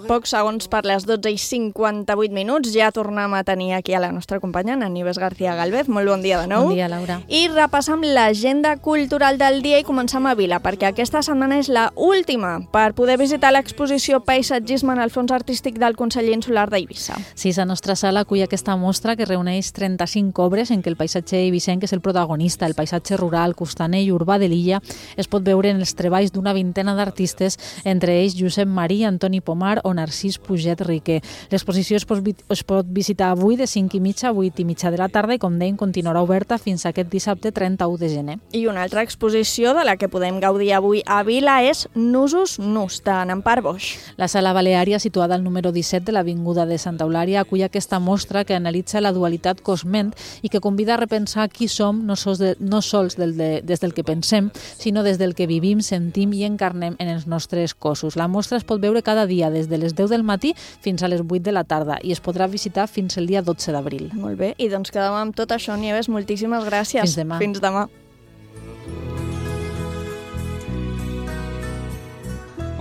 Pocs segons per les dotze i cinquanta-vuit minuts. Ja tornem a tenir aquí a la nostra companya, Nieves García Galvez. Molt bon dia de nou. Bon dia, Laura. I repassam l'agenda cultural del dia i començam a Vila, perquè aquesta setmana és la última per poder visitar l'exposició Paisatgisme en el fons artístic del Consell Insular d'Eivissa. Sí, la nostra sala acull aquesta mostra que reuneix trenta-cinc obres en què el paisatge eivissenc és el protagonista. El paisatge rural, costaner i urbà de l'illa es pot veure en els treballs d'una vintena d'artistes, entre ells Josep Marí, Antoni Pomar o Narcís Puget Riquer. L'exposició es pot, es pot visitar avui de cinc i mitja a vuit i mitja de la tarda i, com dèiem, continuarà oberta fins a aquest dissabte trenta-u de gener. I una altra exposició de la que podem gaudir avui a Vila és Nusos Nus, de Nampar Boix. La sala Baleària, situada al número disset de l'Avinguda de Santa Eulària, acull aquesta mostra que analitza la dualitat cos-ment i que convida a repensar qui som no sols, de, no sols del de, des del que pensem, sinó des del que vivim, sentim i encarnem en els nostres cossos. La mostra es pot veure cada dia des de les deu del matí fins a les vuit de la tarda i es podrà visitar fins el dia dotze d'abril. Molt bé, i doncs quedem amb tot això, Nieves. Moltíssimes gràcies. Fins demà. Fins demà.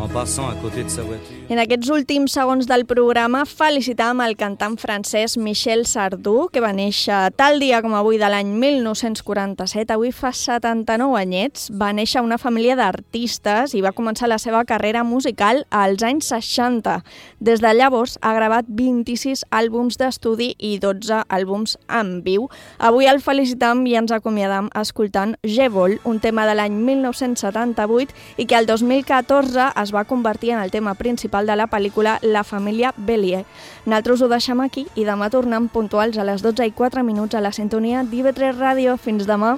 En passant à côté de sa voiture. En aquests últims segons del programa felicitàvem el cantant francès Michel Sardou, que va néixer tal dia com avui de l'any mil nou-cents quaranta-set. Avui fa setanta-nou anyets. Va néixer a una família d'artistes i va començar la seva carrera musical als anys seixanta. Des de llavors ha gravat vint-i-sis àlbums d'estudi i dotze àlbums en viu. Avui el felicitam i ens acomiadam escoltant Je Vol, un tema de l'any mil nou-cents setanta-vuit i que el dos mil catorze es va convertir en el tema principal de la pel·lícula La família Bélier. Nosaltres ho deixem aquí i demà tornem puntuals a les dotze i quatre minuts a la sintonia d'I V tres Ràdio. Fins demà.